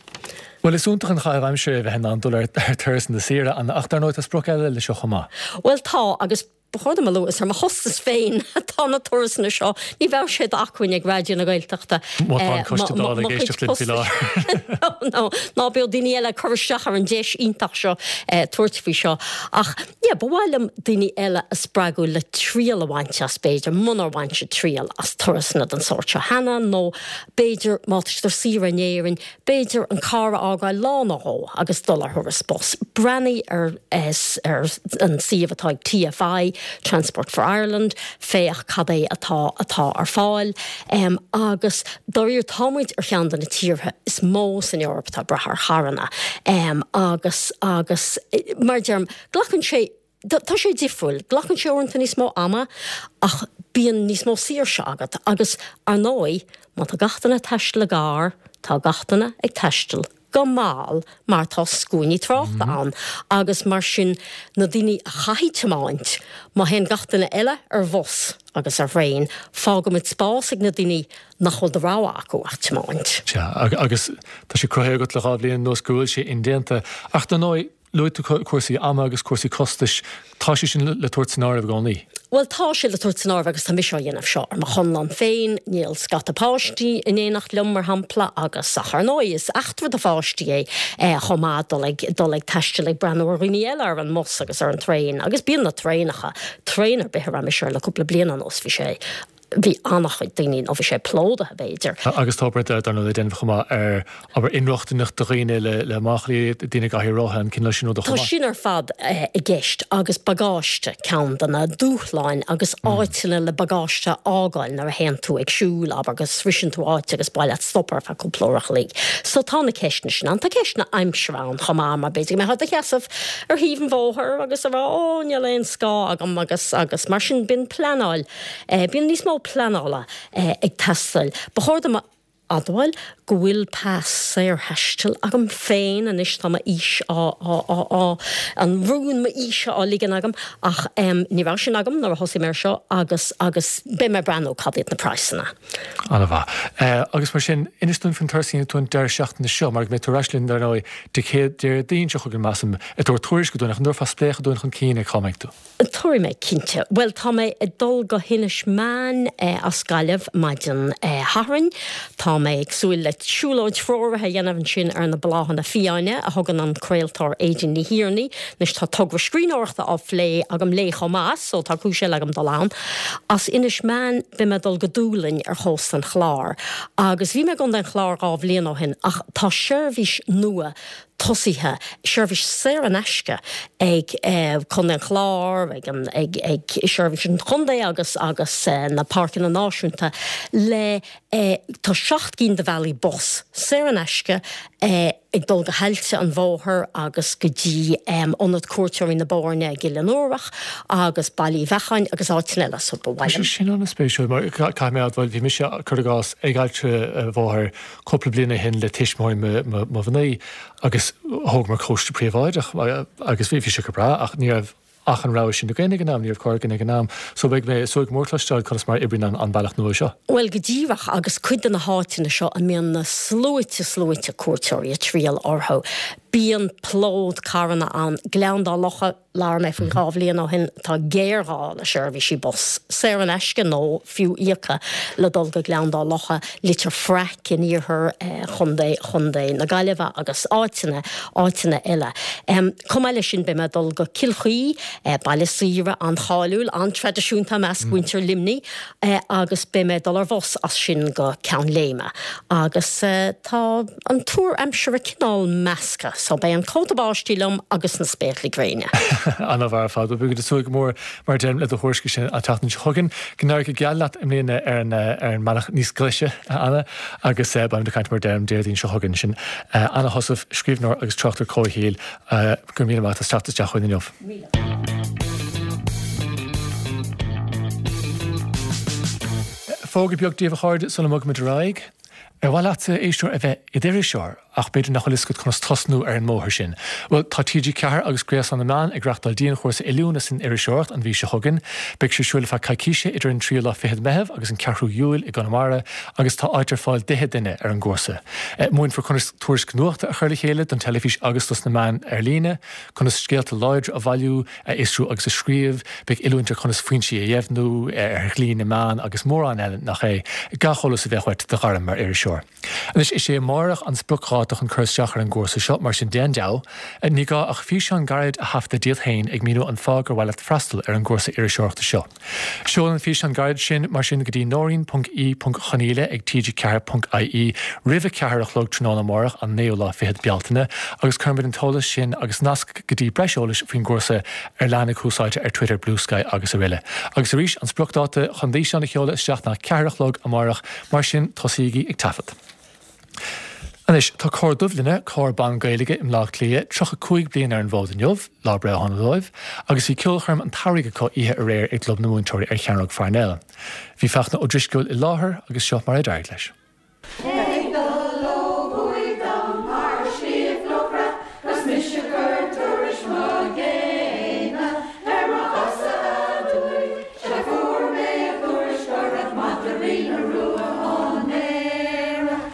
Speaker 1: Bhuel, is iontach an chaitheamh aimsire é bheith in ann dul ar turasanna saoire, Anna, ach dar ndóigh tá sprioc eile leis seo chomh maith.
Speaker 5: Bhuel tá, agus ba chóir dom a lua, is ar mo chostas féin atá na turasanna seo, ní bheadh sé d'acmhainn ag Raidió na Gaeltachta
Speaker 1: Má tá an Coiste Dála ag éisteacht linn faoi láthair.
Speaker 5: No, ná bíodh daoine eile ag cur isteach ar an deis iontach seo tabhairt faoi seo. Ach yeah, ba mhaith liom daoine eile a spreagadh le triail a bhaint as, b'fhéidir, munar bhain siad triail as turasanna den sórt seo cheana, nó b'fhéidir má tá siad ar saoire in Éirinn, b'fhéidir an carr a fhágáil lá nó dhó agus dul ar thuras bus. Breathnaigh ar ar an suíomh atá ag TFI, Transport for Ireland, féach cad é atá atá ar fáil. Agus dáiríre tá muid ar cheann de na tíortha is mó san Eoraip atá ag brath ar charranna. Agus agus mar a deirim, glacann sé, tá sé difriúil, glacann sé uaireanta níos mó ama ach bíonn níos mó saoirse agat agus ar ndóigh má tá gach duine ag taisteal i gcarr, tá gach duine ag taisteal go mall mar tá scuainí tráchta ann agus mar sin na daoine a chaithfidh tiomáint, má théann gach duine eile ar bhus agus ar thraein, fágaimid spás ag na daoine nach bhfuil de rogha acu ach tiomáint.
Speaker 1: Sea, agus tá sé cruthaithe agat le dhá bhliain anuas go bhfuil sé indéanta. Ach dar ndóigh, luaigh tú cúrsaí ama agus cúrsaí costais, tá sé sin le tabhairt san áireamh i gcónaí.
Speaker 5: Bhuel, tá sé le tabhairt san áireamh agus tá mise á dhéanamh seo ar mo chonlán féin, níl scata páistí in éineacht liom, mar shampla, agus ach ar ndóigh is eachtra do pháistí é chomh maith dul ag dul ag taisteal ag breathnú ar dhaoine eile ar an mbus agus ar an traein agus bíonn na traenacha, traein ar bith a raibh mise air le cúpla bliain anuas, bhí sé bhí an-chuid daoine nó bhí sé plódaithe b'fhéidir.
Speaker 1: Agus tá obair dar ndóigh le déanamh chomh maith ar obair inrochtaineacht do dhaoine le le máchailí, daoine i gcathaoir rotha, an cineál sin ruda chomh
Speaker 5: maith. Tá sin ar fad i gceist agus bagáiste ceann de na dúshláin agus áiteanna le bagáiste a fhágáil nuair a théann tú ag siúl, abair, go sroiseann tú áit agus ba mhaith leat stopadh ar feadh cúpla uair a chloig. So tá na ceisteanna sin ann. Tá ceisteanna aimsire ann chomh maith mar b'fhéidir go mbeifeá i do sheasamh ar thaobh an bhóthair agus a rá 'ó níl aon scáth agam' agus agus mar sin bíonn pleanáil, bíonn níos mó pleanála ag teastáil. Ba chóir dom a admháil go bhfuil pas saorthaistil agam féin anois, tá m'aois á, á, á, á, an rún m'aoise á ligean agam ach ní raibh sin agam nuair a thosaigh mé ar seo agus, agus beidh mé ag breathnú cad iad na praghsanna.
Speaker 1: An-mhaith. Agus mar sin, inis dúinn faoin turas a dhéanfaidh tú an deireadh seachtaine seo, mar go mbeidh tú ar ais linn, dar ndóigh, Dé Céad, Déardaoin seo chugainn, measaim, ag tabhairt tuairisce dúinn, ach an dtabharfá spléachadh dúinn chun cinn ar cá mbeidh tú?
Speaker 5: Tabharfaidh mé, cinnte. Bhuel, tá mé ag dul go hInis Meáin as Gaillimh maidin Shathairn. Tá mé ag súil le siúlóid threoraithe a dhéanamh ansin ar na bláthanna fiáine a thugann an craoltóir Aedín Ní Thiarnaigh. Anois tá togra scríbhneoireachta á phlé agam léi chomh maith, so tá cúis eile agam dul ann. As Inis Meáin beidh mé ag dul go Dúlainn ar chósta an Chláir. Agus bhí mé i gContae an Chláir dhá bhliain ó shin ach tá seirbhís nua tosaithe, seirbhís saor in aisce ag Contae an Chláir, ag an, ag, ag seirbhís an chontae agus, agus na Páirceanna Náisiúnta le, tá seacht gcinn de bhealaí bus saor in aisce ag dul go hAillte an Bhóthair agus go dtí Ionad Cuairteoirí na Boirne i gCill an Fhiorach agus Baile Uí Bheacháin agus áiteanna eile so ba mhaith
Speaker 1: liom. Sin an-spéisiúil mar caithfidh mé a admháil bhí mise, cuir i gcás, ag Aillte an Bhóthair cúpla bliain ó shin le tuismitheoirí mo mhnaoi agus thógamar cóiste príobháideach agus bhí sé go breá ach ní raibh ach an rogha sin againn ag an am, ní raibh carr againn ag an am. So beidh mé ag súil go mór cloisteáil conas mar a oibríonn an bealach nua seo.
Speaker 5: Bhuel, go díreach, agus cuid de na háiteanna seo a mbíonn na sluaite sluaite cuairteoirí ag triall orthu, bíonn plód carranna ann. Gleann Dá Locha, labhair mé faoi dhá bhliain ó shin, tá géarghá le seirbhísí bus, saor in aisce nó fiú íoctha, le dul go Gleann Dá Locha, Leitir Fraic in iarthar chontae chontae na Gaillimhe agus áiteanna, áiteanna eile. Chomh maith leis sin beidh mé ag dul go Cill Chaoi, baile saoire an-cháiliúil, an-traidisiúnta i measc mhuintir Luimnigh, agus beidh mé ag dul ar bhus as sin go Ceann Léime. Agus tá an tuar aimsire cineál measctha. So beidh an cóta báistí liom agus na spéaclaí gréine.
Speaker 1: An-mhaith ar fad, beidh ag súil go mór mar a deirim le do thuairiscí sin an tseachtain seo chugainn. Go n-éirí go geal leat i mbliana ar an ar an mbealach níos glaise, a Anna, agus beimid ag caint mar a deirim Déardaoin seo chugainn sin. Anna Heussaff, scríbhneoir agus tráchtaire comhshaoil, go raibh míle maith agat as teacht isteach chugainn inniu. Fógra beag daoibh a chairde sula mbogaimid ar aghaidh. Ar mhaith leatsa, a éisteoir, a bheith i d'iriseoir ach b'fhéidir nach bhfuil fhios agat conas tosnú ar an mbóthar sin? Bhuel, tá T G ceathair agus Gréasán na Meán ag reachtáil dianchúrsa oiliúna san iriseoireacht an mhí seo chugainn. Beidh sé ar siúl ar feadh coicíse idir an tríú lá fichead Meitheamh agus an ceathrú Iúil i gConamara agus tá áit ar fáil d'fhiche duine ar an gcúrsa. Múinfear conas tuairisc nuachta a chur le chéile don teilifís agus dos na meáin ar líne, conas scéalta láidre a bhailiú, a fhiosrú agus a scríobh, beidh oiliúint ar chonas foinsí a dheimhniú, ar dhlí na meán agus mórán eile nach é. Gach eolas a bheadh uait do ghairm mar iriseoir. Anois, is é amárach an spriocdháta chun cur isteach ar an gcúrsa seo, mar sin déan deabhadh. Ní gá ach físeán gairid a thaifeadadh díot féin ag míniú an fáth gur mhaith leat freastal ar an gcúrsa iriseoireachta seo. Seol an físeán gairid sin, mar sin, go dtí Nóirín ponc E ponc Chonaola ag T G ceathair ponc I E roimh a ceathair a chlog tráthnóna amárach, an naoú lá fichead Bealtaine, agus cuirfimid an t-eolas sin agus nasc go dtí breis eolais faoin gcúrsa ar leathanaigh Tús Áite ar Twitter, Bluesky agus aroile. Agus arís, an spriocdháta chun d'fhíseán a sheoladh isteach ná ceathair a chlog amárach, mar sin tosaígí ag taifead. Anois, tá Cór Duibhlinne, cór ban Gaeilge i mBleá Cliath, tríocha cúig bliain ar an bhfód inniu, lá breithe shona dóibh, agus bhí ceolchoirm an tsamhraidh acu oíche aréir i gClub na Múinteoirí ar Chearnóg Pharnell. Bhí Fachtna Ó Drisceoil i láthair agus seo mar a d'éirigh leis.
Speaker 6: Ag dul ó thuaidh dom thar Shliabh Luachra 'gus mise ag cur tuairisc mo ghéine ar mo chosa aduaidh 'sea fuair mé an tuairisc go raibh madraí na rua á ndaoradh.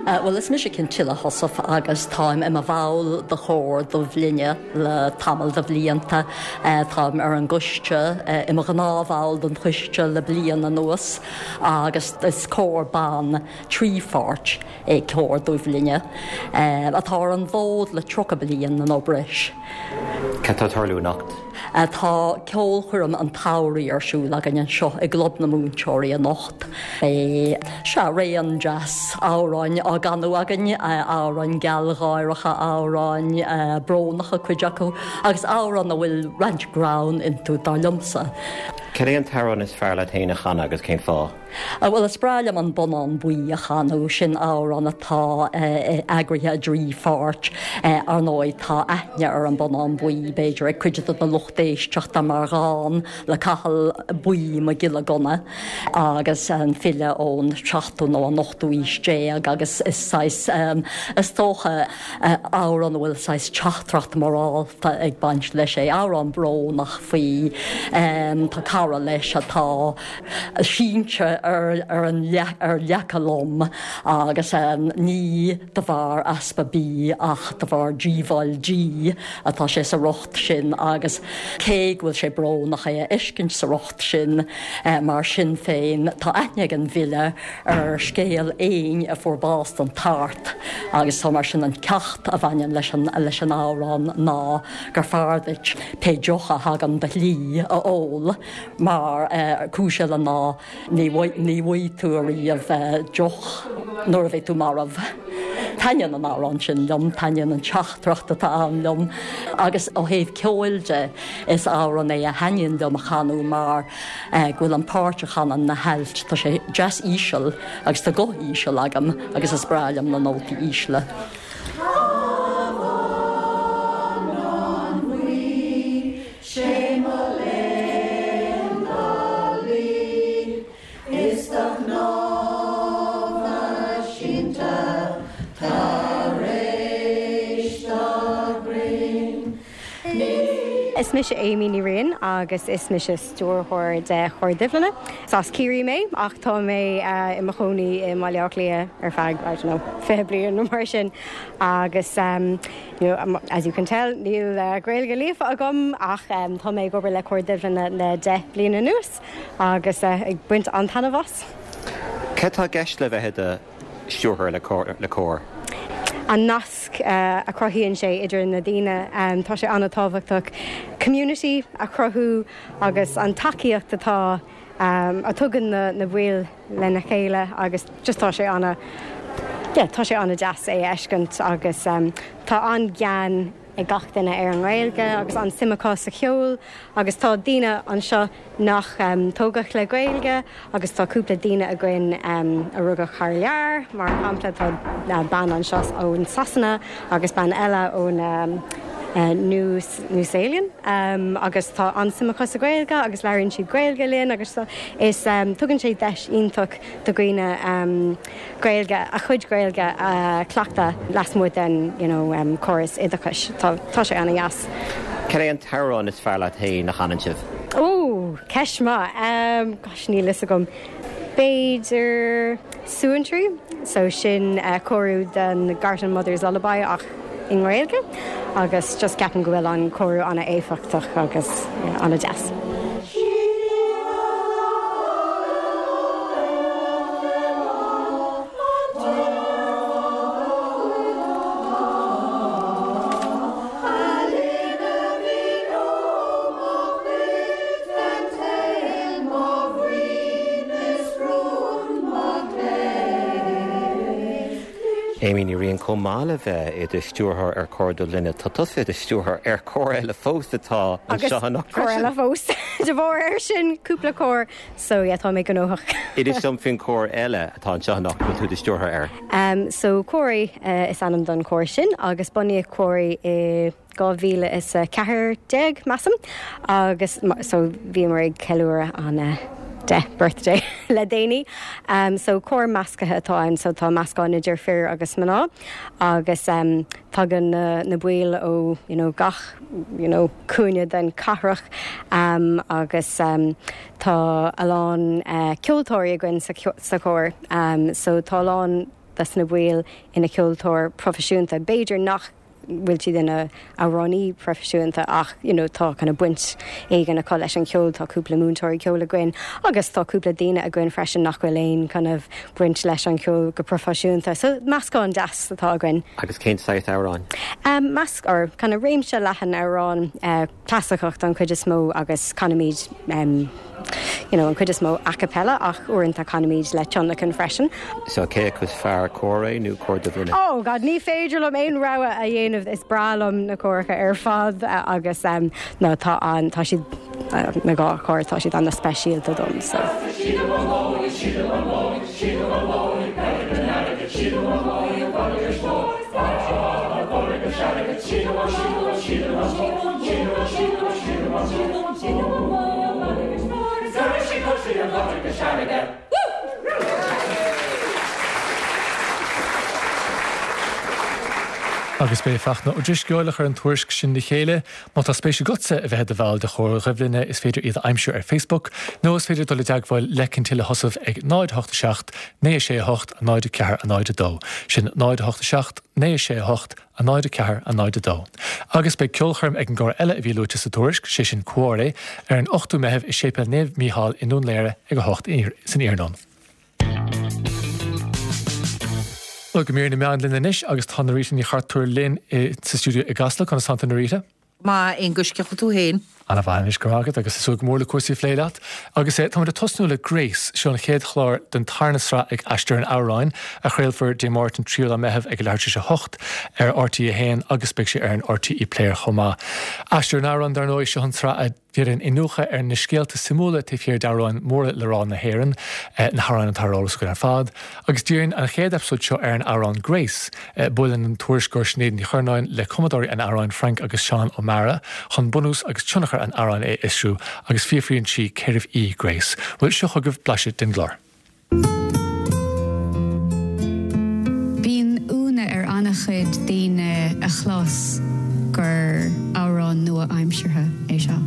Speaker 6: An
Speaker 7: Bhuel, is mise Cintila Heussaff agus táim i mo bhall de Chór Duibhlinne le tamall de bhlianta. Táim ar an gcoiste, i mo ghnáthbhall den choiste le bliain anuas agus is cór ban trí pháirt é Cór Duibhlinne, atá ar an bhfód le tríocha bliain nó breis.
Speaker 8: Cad tá ag tarlú anocht?
Speaker 7: Tá ceolchoirm an tsamhraidh ar siúl againn anseo i gClub na Múinteoirí anocht. Beidh, sea, raon deas amhráin á gcanadh againn, amhráin gealgháireacha, amhráin brónacha cuid acu, agus amhráin a bhfuil roinnt greann iontu, dar liomsa.
Speaker 8: Cad é an t-amhrán is fearr leat féin a chanadh agus cén fáth?
Speaker 7: Bhuel, is breá liom an Bonnán Buí a chanadh, sin amhrán atá eagraithe i dtrí pháirt. Ar ndóigh, tá aithne ar an Bonnán Buí, b'fhéidir, ag cuid de na lucht éisteachta mar dhán le Cathal Buí Mac Giolla Gunna agus an file ón seachtú nó an ochtú aois déag agus is saghas, is dócha, amhrán a bhfuil saghas teachtaireacht mhorálta ag baint leis é, amhrán brónach faoi, tá cara leis atá sínte ar ar an ar leaca lom agus ní de bharr easpa bídh ach de bharr díobháil dí atá sé sa riocht sin agus cé go bhfuil sé brónach é a fheiscint sa riocht sin, mar sin féin tá aithne ag an bhfile ar scéal éin a fuair bás den tart agus so mar sin an ceacht a bhaineann leis an leis an amhrán ná gur fearr duit pé deoch a thagann do shlí a ól mar cúis eile ná ní ní bhfaighidh tú ariamh deoch nuair a bheidh tú marbh. Taitníonn an amhrán sin liom, taitníonn an teachtaireacht atá ann liom agus ó thaobh ceoil de is amhrán é a thaitníonn liom a chanadh mar go bhfuil an páirt a chanann na hailt, tá sé deas íseal agus tá guth íseal agam agus is breá liom na nótaí ísle.
Speaker 6: Sé mo léan do luí is do chnámha sínte tar éis do ghrinn.
Speaker 9: Is mise Amy Ní Riain agus is mise stiúrthóir de Chór Duibhlinne. Is as Ciarraí mé ach tá mé i mo chónaí i mBaile Átha Cliath ar feadh, I don't know, fiche bliain nó mar sin agus um, you know, as you can tell, níl uh, Gaeilge líofa agam ach um, tá mé ag obair le Cór Duibhlinne le deich bliain anuas agus uh, ag baint an-taitneamh as.
Speaker 8: Cad tá i gceist le bheith i do stiúrthóir le cór, le cór?
Speaker 9: An nasc uh, a chruthaíonn sé idir na daoine um, tá sé an-tábhachtach community a chruthú agus an tacaíocht atá um, a tugann na, na baill lena chéile agus just tá sé an- yeah, tá sé an-deas é a fheiscint agus tá an-ghean ag gach duine ar an nGaeilge agus an-suim acu sa cheol agus tá daoine anseo nach tógadh le Gaeilge agus tá cúpla daoine againn a rugadh thar lear, mar shampla tá bean anseo ón Sasana agus bean eile ón New New Zealand agus tá an-suim acu sa Ghaeilge agus labhraíonn siad Gaeilge linn agus is tugann sé deis iontach do dhaoine Gaeilge a chuid Gaeilge a chleachtadh lasmuigh den you know córas oideachais. Tá tá sé an-deas.
Speaker 8: Cad é an t-amhrán is fearr leat féin a chanann sibh?
Speaker 9: Ó, ceist mhaith. Gosh níl fhios agam. B'fhéidir Suantraí, so sin cóiriú den Gartan Mother's Lullaby ach i nGaeilge agus just ceapaim go bhfuil an cóiriú an-éifeachtach agus an-deas.
Speaker 8: Amy Ní Riain chomh maith le bheith i do stiúrthóir ar Chór Dubh Linne, tá tusa i do stiúrthóir ar chór eile fós atá anseo anocht
Speaker 9: freisin. Cór eile fós. De bharr air sin, cúpla cór, so yeah, tá mé gnóthach.
Speaker 8: Inis dom faoin cór eile atá anseo anocht go bhfuil tú i do stiúrthóir air.
Speaker 9: Um, so Comhraí uh, is ainm don chór sin agus bunaíodh Comhraí i dhá mhíle is a ceathair déag, measaim, agus so bhíomar ag ceiliúradh an uh, deich birthday le déanaí. Um, so cór measctha atá ann, so tá meascán idir fir agus mná agus um, tagann na, na baill ó you know, gach you know, cúinne den cathrach um, agus um, tá a lán uh, ceoltóirí againn sa, sa chór. Um, so tá a lán des na baill ina ceoltóir proifisiúnta. B'fhéidir nach bhfuil siad ina amhránaí proifisiúnta ach you know, tá kind of baint éigin acu leis an cheol tá cúpla múinteoirí ceoil againn agus tá cúpla daoine againn freisin nach bhfuil aon kind of baint leis an cheol go proifisiúnta. So meascán deas atá againn.
Speaker 8: Agus cén saghas amhrán?
Speaker 9: Um, measc or kind of réimse leathan amhrán uh, clasaiceach an chuid is mó agus canaimid um, you know, an chuid is mó a cappella ach uaireanta canaimid le tionlacan freisin.
Speaker 8: So cé acu is fearr Comhraí nó Cór Dubh Linne?
Speaker 9: Oh God, ní féidir liom aon rogha a dhéanamh is breá liom na córacha ar fad agus um, no, tá an tá siad uh, na dhá chór tá siad an-speisialta dom. So.
Speaker 1: Agus b'é Fachtna Ó Drisceoil a chuir an tuairisc sin le chéile, má tá spéis agatsa a bheith i do bhall de Chór Dhuibh Linne is féidir iad a aimsiú ar Facebook nó is féidir dul i dteagmháil le Cintile Sheosaimh ag náid a hocht a seacht, naoi a sé a hocht, a náid a ceathair a náid a dó. Sin náid a hocht a seacht, naoi a sé a hocht, a náid a ceathair a náid a dó. Agus beidh ceolchoirm ag an gcór eile a bhí luaite sa tuairisc, sé sin Comhraí, ar an ochtú Meitheamh i Séipéal Naomh Mícheál i Ndún Laoghaire ag a hocht san iarnóin. Bhuel, go mír na meán linn anois agus tá Norita Ní Chartúir linn sa stiúideo i gCasla. Conas tánn tú Norita?
Speaker 10: Maith Aonghus cén chaoi tú féin.
Speaker 1: An-mhaith anois go raibh agus súil go mór le cúrsaí a phlé leat. Agus eh, táimid ag tosnú le Grace, seo an chéad chlár den tarna sraith ag Aistear an Amhráin a chraolfar Dé Máirt an tríú lá Meitheamh ag a leathuair tar éis a hocht ar R T a haon agus beidh sé ar an R T E Player chomh maith. Aistear an Amhráin dar ndóigh seo an tsraith a dhéanann iniúchadh ar na scéalta suimiúla taobh thiar d'amhráin móra le rá na hÉireann, na hamhráin atá ar eolas againn ar fad, agus díríonn an chéad eipeasóid seo ar an amhrán Grace. Buaileann an tuairisceoir Sinéad Ní Churnáin le cumadóirí an amhráin Frank agus Seán Ó Meara chun bunús agus tionchar an amhráin a fhiosrú agus fiafraíonn sí cérbh í Grace. Bhuel seo chugaibh blaiseadh den gclár.
Speaker 11: Bíonn ionadh ar an-chuid daoine a chlos gur amhrán nua-aimseartha é seo.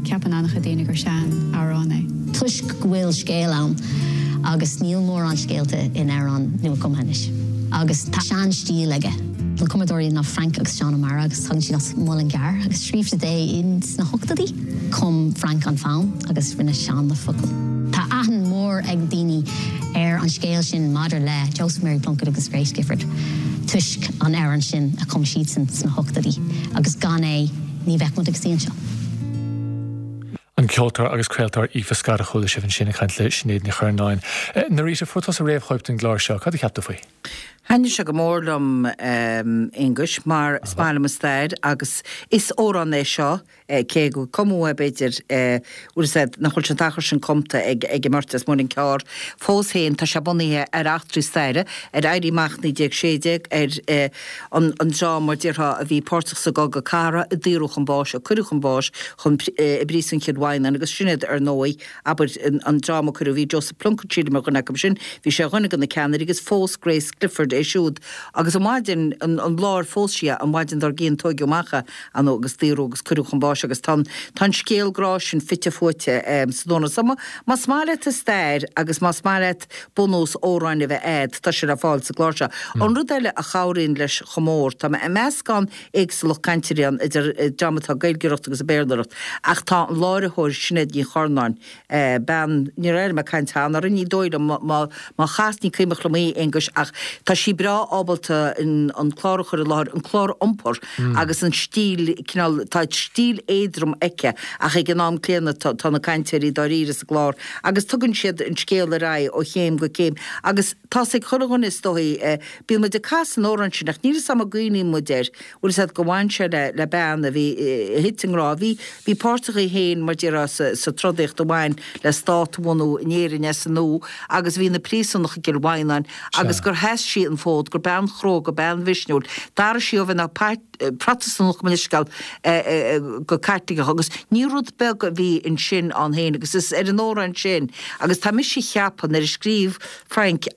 Speaker 11: Ceapann an-chuid daoine gur sean-amhrán é.
Speaker 12: Toisc go bhfuil scéal ann agus níl mórán scéalta in amhráin nua-chumtha anois. Agus tá sean-stíl aige. Na cumadóirí ná Frank agus Seán Ó Meara agus tagann siad as Mullingar agus scríobh siad é in sna hochtóidí. Chum Frank an fonn agus rinne Seán na focail. Tá aithne mór ag daoine ar an scéal sin maidir le Joseph Mary Plunkett agus Grace Gifford. Toisc an amhrán sin a chum siadsan sna hochtóidí agus gan é ní bheadh muid ag suí anseo.
Speaker 1: An ceoltóir agus craoltóir Aoife Scott a chuala sibh ansin ag caint le Sinéad Ní Churnáin. Norita fuair tusa réamhchóip den gclár seo, cad a cheap tú faoi?
Speaker 10: Thaitnigh sé go mór liom Aonghus mar is maith liom an stair agus is amhrán é seo cé gur cumadh é b'fhéidir bhfuil fhios a'd nach bhfuil sé an t-achar sin cumta ag ag an mbeirt as Muileann Cearr. Fós féin tá sé bunaithe ar eachtraí staire, ar Éirí Amach naoi déag sé déag, ar an an dream mar déarfá a bhí páirteach sa gCogadh Cathartha, a daoradh chun báis, a cuireadh chun báis chun i bpríosún Chill Mhaighneann agus sin iad ar ndóigh abair an dream a cuireadh, bhí Joseph Plunkett sílim ar dhuine acu sin, bhí sé ar dhuine de na ceannairí agus phós Grace Clifford é siúd agus an mhaidin, an lá ar phós sí é, an mhaidin dár gcionn tóigeadh amach é ann agus daoradh agus cuireadh chun báis agus tá an, tá an scéal grá sin fite fuaite san amhrán. So más maith leat an stair agus más maith leat bunús amhráin a bheith a'd, tá sé le fáil sa gclár seo. An rud eile a chabhraíonn leis chomh mór, tá meascán éagsúlacht cainteoirí ann idir dream atá ag Gaeilgeoireacht agus ag Béarlóireacht ach tá an láithreoir Sinéad Ní Churnáin, bean, níor éirigh mé ag caint cheana orainn, ní dóigh liom, má má chas, ní cuimhneach liom í, Aonghus, ach tá sí breá ábalta an clár a chur i láthair, an clár a iompar agus an stíl, cineál, tá stíl éadrom aici ach ag an am céanna tá tá na cainteoirí dáiríre sa gclár agus tugann siad an scéal ar aghaidh ó chéim go céim agus tá's ag chuile dhuine is dóigh, bíonn muid ag casadh an amhráin sin ach níl 'fhios a'm an gcuimhníonn muid air, bhfuil 'fhios a'd go bhain sé le le bean a bhí, a thit i ngrá, bhí, bhí páirteach í féin mar déarfá sa sa trodaíocht a bhain le stát a bhunú in Éirinn as an nua agus bhí ina príosúnach i gCill Mhaighneáin agus gur sheas sí an fód, gur bean chróga, bean mhisniúil, d'athraigh sí ó bheith ina Protastúnach gabh mo leithscéal go Caitliceach agus ní rud beag a bhí ansin ann féin agus is ar an amhrán sin agus tá mise ag ceapadh nuair a scríobh Frank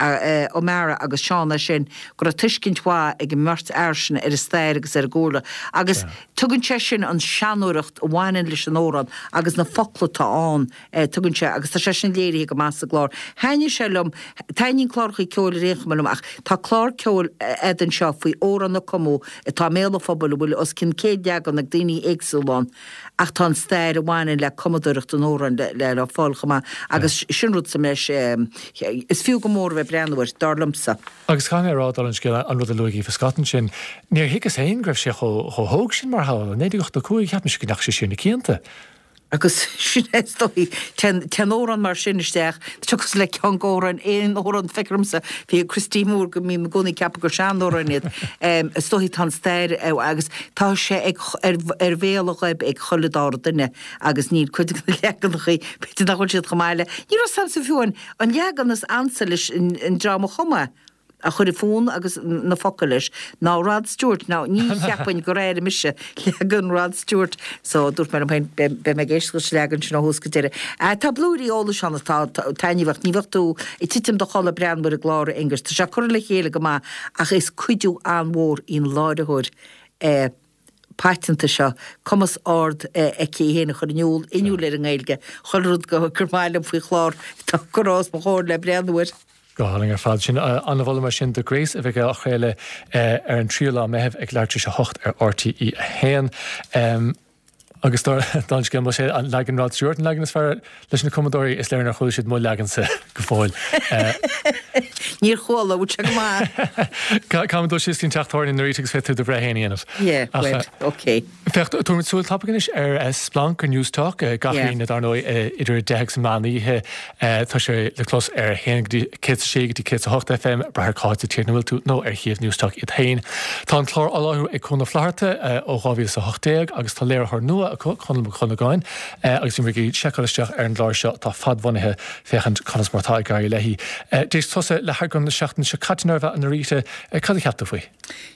Speaker 10: O'Mara agus Seán é sin go raibh tuiscint mhaith ag an mbeirt fhear sin ar an stair agus ar an gcúlra agus tugann sé sin an seanóireacht a bhaineann leis an amhrán agus na focla atá ann tugann sé agus tá sé sin léirithe go maith sa gclár. Thaitnigh sé liom, taitníonn cláracha ceoil ar aon chuma liom ach tá clár ceoil a'd anseo faoi amhrán a cumadh atá i mbéal an phobail a bhfuil os cionn céad leagan ag daoine éagsúla ann ach tá an stair a bhaineann le cumadóireacht an amhráin le le fáil chomh maith agus sin rud sa mbreis is fiú go mór a bheith ag breathnú air, dar liomsa.
Speaker 1: Agus caithfidh mé a rá, dála an scéil, an rud a luaigh Aoife Scott ansin, níor thuigeas féin go raibh sé chomh hóg sin mar shamhail. Naoi déag ochtó cúig, cheap mise go ndeachaigh sé siar na cianta.
Speaker 10: Agus sin é is dóigh, téann amhrán mar sin isteach, tá sé cosúil le ceann d'amhráin, aon amhrán, feictear domsa, bhí ag Christy Moore go mbím i gcónaí ag ceapadh gur seanamhráin iad. Is dóigh tá an stair agus tá sé ag ar bhéal an ghoib ag chuile dara duine agus níl cuid de na leaganachaí, b'fhéidir nach bhfuil siad chomh maith le, ní raibh 's a'msa fiú an leagan is ansa leis an dream a chum é. a chuir an fonn agus na focail leis, ná Rod Stewart. Now, ní cheapfainn gur airigh mise leagan Rod Stewart, so dúirt mé liom féin, beidh mé ag éisteacht leis an leagan sin ó thús go deireadh. Tá blúirí eolais ann atá taitneamhach, ní bheadh tú ag titim i do chodladh ag breathnú ar an gclár, a Aonghuis. Tá sé curtha le chéile go maith ach is cuidiú an-mhór í an láithreoir paiteanta seo, cumas ard aici í féin a chur in iúl, inniúil ar an nGaeilge, chuile rud gur maith liom faoi chlár atá curtha os mo chomhair le breathnú air.
Speaker 1: Go hálainn ar fad. Sin an-mholadh mar sin do Grace a bheidh á chraoladh ar an tríú lá Meitheamh ag leathuair tar éis a hocht ar RTÉ a haon. Agus dála an scéil, más é an leagan Rod Stewart an leagan is fearr leis na cumadóirí, is léir nár chuala siad mo leagansa go fóill.
Speaker 10: Níor chuala, bhfuil sé go maith?
Speaker 1: Caithfidh muid dul síos go dtí an teach tábhairne Narita agus féadfaidh tú do bhreith féin a dhéanamh.
Speaker 10: Yeah, well, ok.
Speaker 1: Féach, tabharfaimid súil tapaidh anois ar Splanc ar Newstalk, gach Aoine dar ndóigh idir a deich agus an meán oíche. Tá sé le clos ar a haon go dtí céad is a sé go dtí céad is a hocht FM, brath ar cá háit sa tír ina bhfuil tú, nó ar shuíomh Newstalk iad féin. Tá an clár á láithriú ag Cuan Ó Flatharta ó dhá mhíle is a hocht déag agus tá léiritheoir nua acu, Conall Mac Dhonnagáin, agus bhí muid ag seiceáil isteach ar an gclár seo atá fadbhunaithe féachaint conas mar atá ag éirí léi. D'éist tusa le heagrán na seachtaine seo caite nárbh ea, a Narita, cad a cheap tú faoi?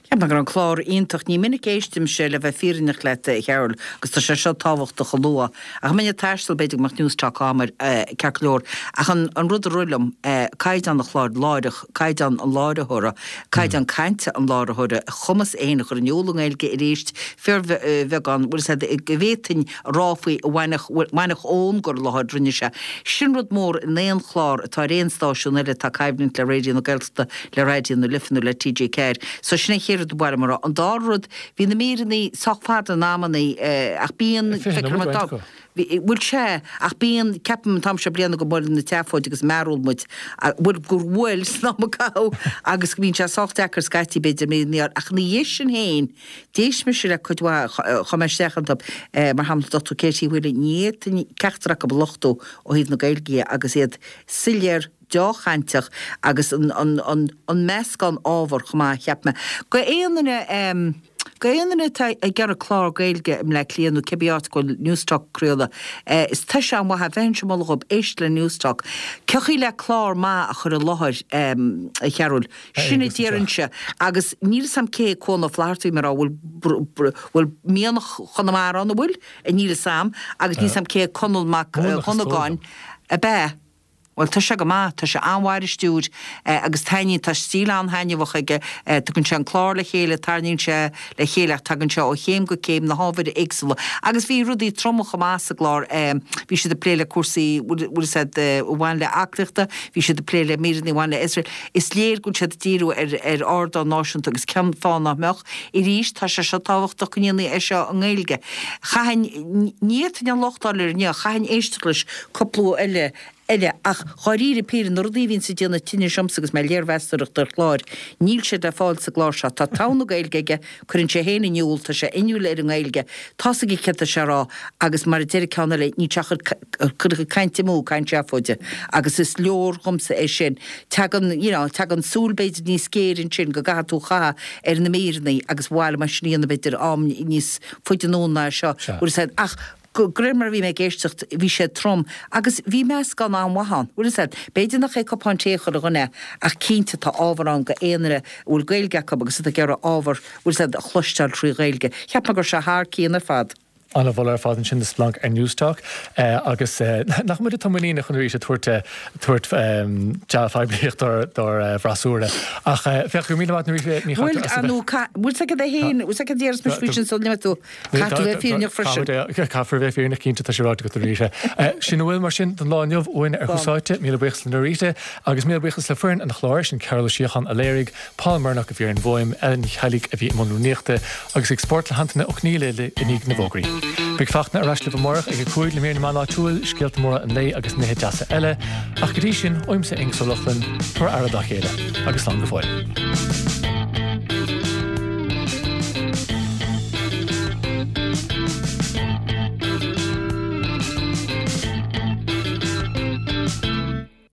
Speaker 10: Cheap mé go raibh an clár iontach. Ní minic a éistimse, le bheith fírinneach leat, a Chearbhaill, agus tá sé seo tábhachtach a lua. Ach dá mbeinn ag taisteal, b'fhéidir go mbeadh Newstalk agam air, ceart go leor. Ach an an rud a rith liom, caighdeán an chláir láithreach, caighdeán an láithreora, caighdeán cainte an láithreora, a chumas é féin a chur in iúl i nGaeilge arís, fíorbheagán, bhfuil 'fhios a'd, go bhféadfainn a rá faoi a bhainfeadh, bhainfeadh ón gcur i láthair a rinne sé. Sin rud mór in aon chlár atá ar aon stáisiún eile atá coimhlint le Raidió na Gaeltachta, le Raidió na Life nó le T G ceathair. So sin an chéad rud ba mhaith liom a rá. An dara rud, bhí na míreanna sách fada in amannaí ach bíonn,
Speaker 1: Fiche
Speaker 10: feictear
Speaker 1: nóiméad
Speaker 10: dom,
Speaker 1: roinnt acu.
Speaker 10: bhfuil sé, ach bíonn, ceapaim an t-am seo bliana go mbuaileann na tseafóid agus mearúil muid bhuel gur bhuail san am a caitheadh agus go mbíonn sé sách deacair scaití b'fhéidir míreanna a fháil ach ina dhiaidh sin féin d'éist mise le cuid mhaith chuaigh mé isteach iontu mar shampla Dochtúir Katie Whelan ní fhéadfainn ceachtar acu a lochtú ó thaobh na Gaeilge dhe agus iad soiléir deá-chainteach agus an an an an meascán ábhar chomh maith cheap mé go aon duine go aon duine atá ag iarraidh clár Gaeilge i mBleá Cliath nó cibé áit go bhfuil Newstalk ag craoladh is tá sé an-mhaith a bheinnse ag moladh dhóibh éist le Newstalk. Cén chaoi le clár maith a chur i láthair a Chearúil? Sin a déarfainnse agus níl 'fhios a'm cé hé Cuan Ó Flatharta mar a bhfuil bhfuil mianach Chonamara ann an bhfuil? Níl 'fhios a'm agus níl 'fhios a'm cé hé Conall Mac Dhonnagáin ab ea? Bhuel, tá sé go maith, tá sé an-mhaith ar an stiúir agus taitníonn, tá stíl an-thaitneamhach aige, tugann sé an clár le chéile, tarraingíonn sé le chéile ach tagann sé ó chéim go céim na hábhair éagsúla. Agus bhí rudaí troma chomh maith sa gclár, bhí siad ag plé le cúrsaí, bhfuil 'fhios a'd, a bhain le aclaíochta, bhí siad ag plé le míreanna a bhain le Iosrael. Is léir go bhfuil siad ag díriú ar ar ardán náisiúnta agus cén fáth nach mbeadh? Arís, tá sé seo tábhachtach go ndéanfaí é seo i nGaeilge. Chaithfinn, ní fhéadfainn an locht a fháil air inniu, chaithfinn éisteacht leis cúpla uair eile, eile. Ach dháiríre píre, na rudaí a bhíonns ag déanamh tinnis dhomsa agus mé ag léirmheastóireacht ar chláir, níl siad le fáil sa gclár seo. Tá togha na Gaeilge aige, cuireann sé féin in iúl, tá sé inniúil ar an nGaeilge, tá's aige céard tá sé a rá agus mar a deir an ceann eile, níl sé ag cur a chuid cainte amú, caint seafóide. Agus is leor dhomsa é sin. Tagann, you know, tagann súil b'fhéidir níos géire ansin go gcaithfidh tú a chaitheamh ar na míreanna agus ba mhaith liom é sin a dhéanamh b'fhéidir am níos faide anonn ná seo. Bhfuil 'fhios a'd, ach De réir mar a bhí mé ag éisteacht, bhí sé trom agus bhí meascán an-mhaith ann. Bhfuil 'fhios a'd, b'fhéidir nach é cupán tae chuile dhuine ach cinnte tá ábhar ann go aon duine a bhfuil Gaeilge acu agus atá ag iarraidh ábhar, bhfuil 'fhios a'd, a chloisteáil trí Ghaeilge. Cheap mé go raibh sé thar cionn ar fad.
Speaker 1: An-mholadh ar fad ansin do Splanc ar Newstalk agus nach muid atá muiníneach chun arís ag tabhairt tabhairt dea-phoiblíocht dár dár bhfreasúra. Ach féach, go raibh míle maith agat Ní
Speaker 10: Bhfuil, nó bhfuil 'fhios a'd é féin, bhfuil 'fhios a'd déarfas mise faoi sin sula n-imíonn tú. Caithfidh tú bheith fírinneach freisin.
Speaker 1: Caithfear a bheith fírinneach, cinnte, tá sé ráite agat Norita. Sin a bhfuil mar sin don lá inniu uainn ar Thús Áite. Míle buíochas le Norita agus míle buíochas le foireann an chláir, sin Cearbhall Ó Síocháin a léirigh, Paul Murnock a bhí ar an bhfuaim, Ellen Ní Cheallaigh a bhí i mbun rúnaíochta agus ag Spórt le hAntaine Ó Conghaile i ndiaidh na bhfógraí. Beidh Fachtna ar ais libh amárach ag a cúig le mír na meán áitiúil, scéalta móra an lae agus nithe deasa eile. Ach go dtí sin, uaimse Aengus Ó Lochlainn, tabhair aire dá chéile agus slán go fóill.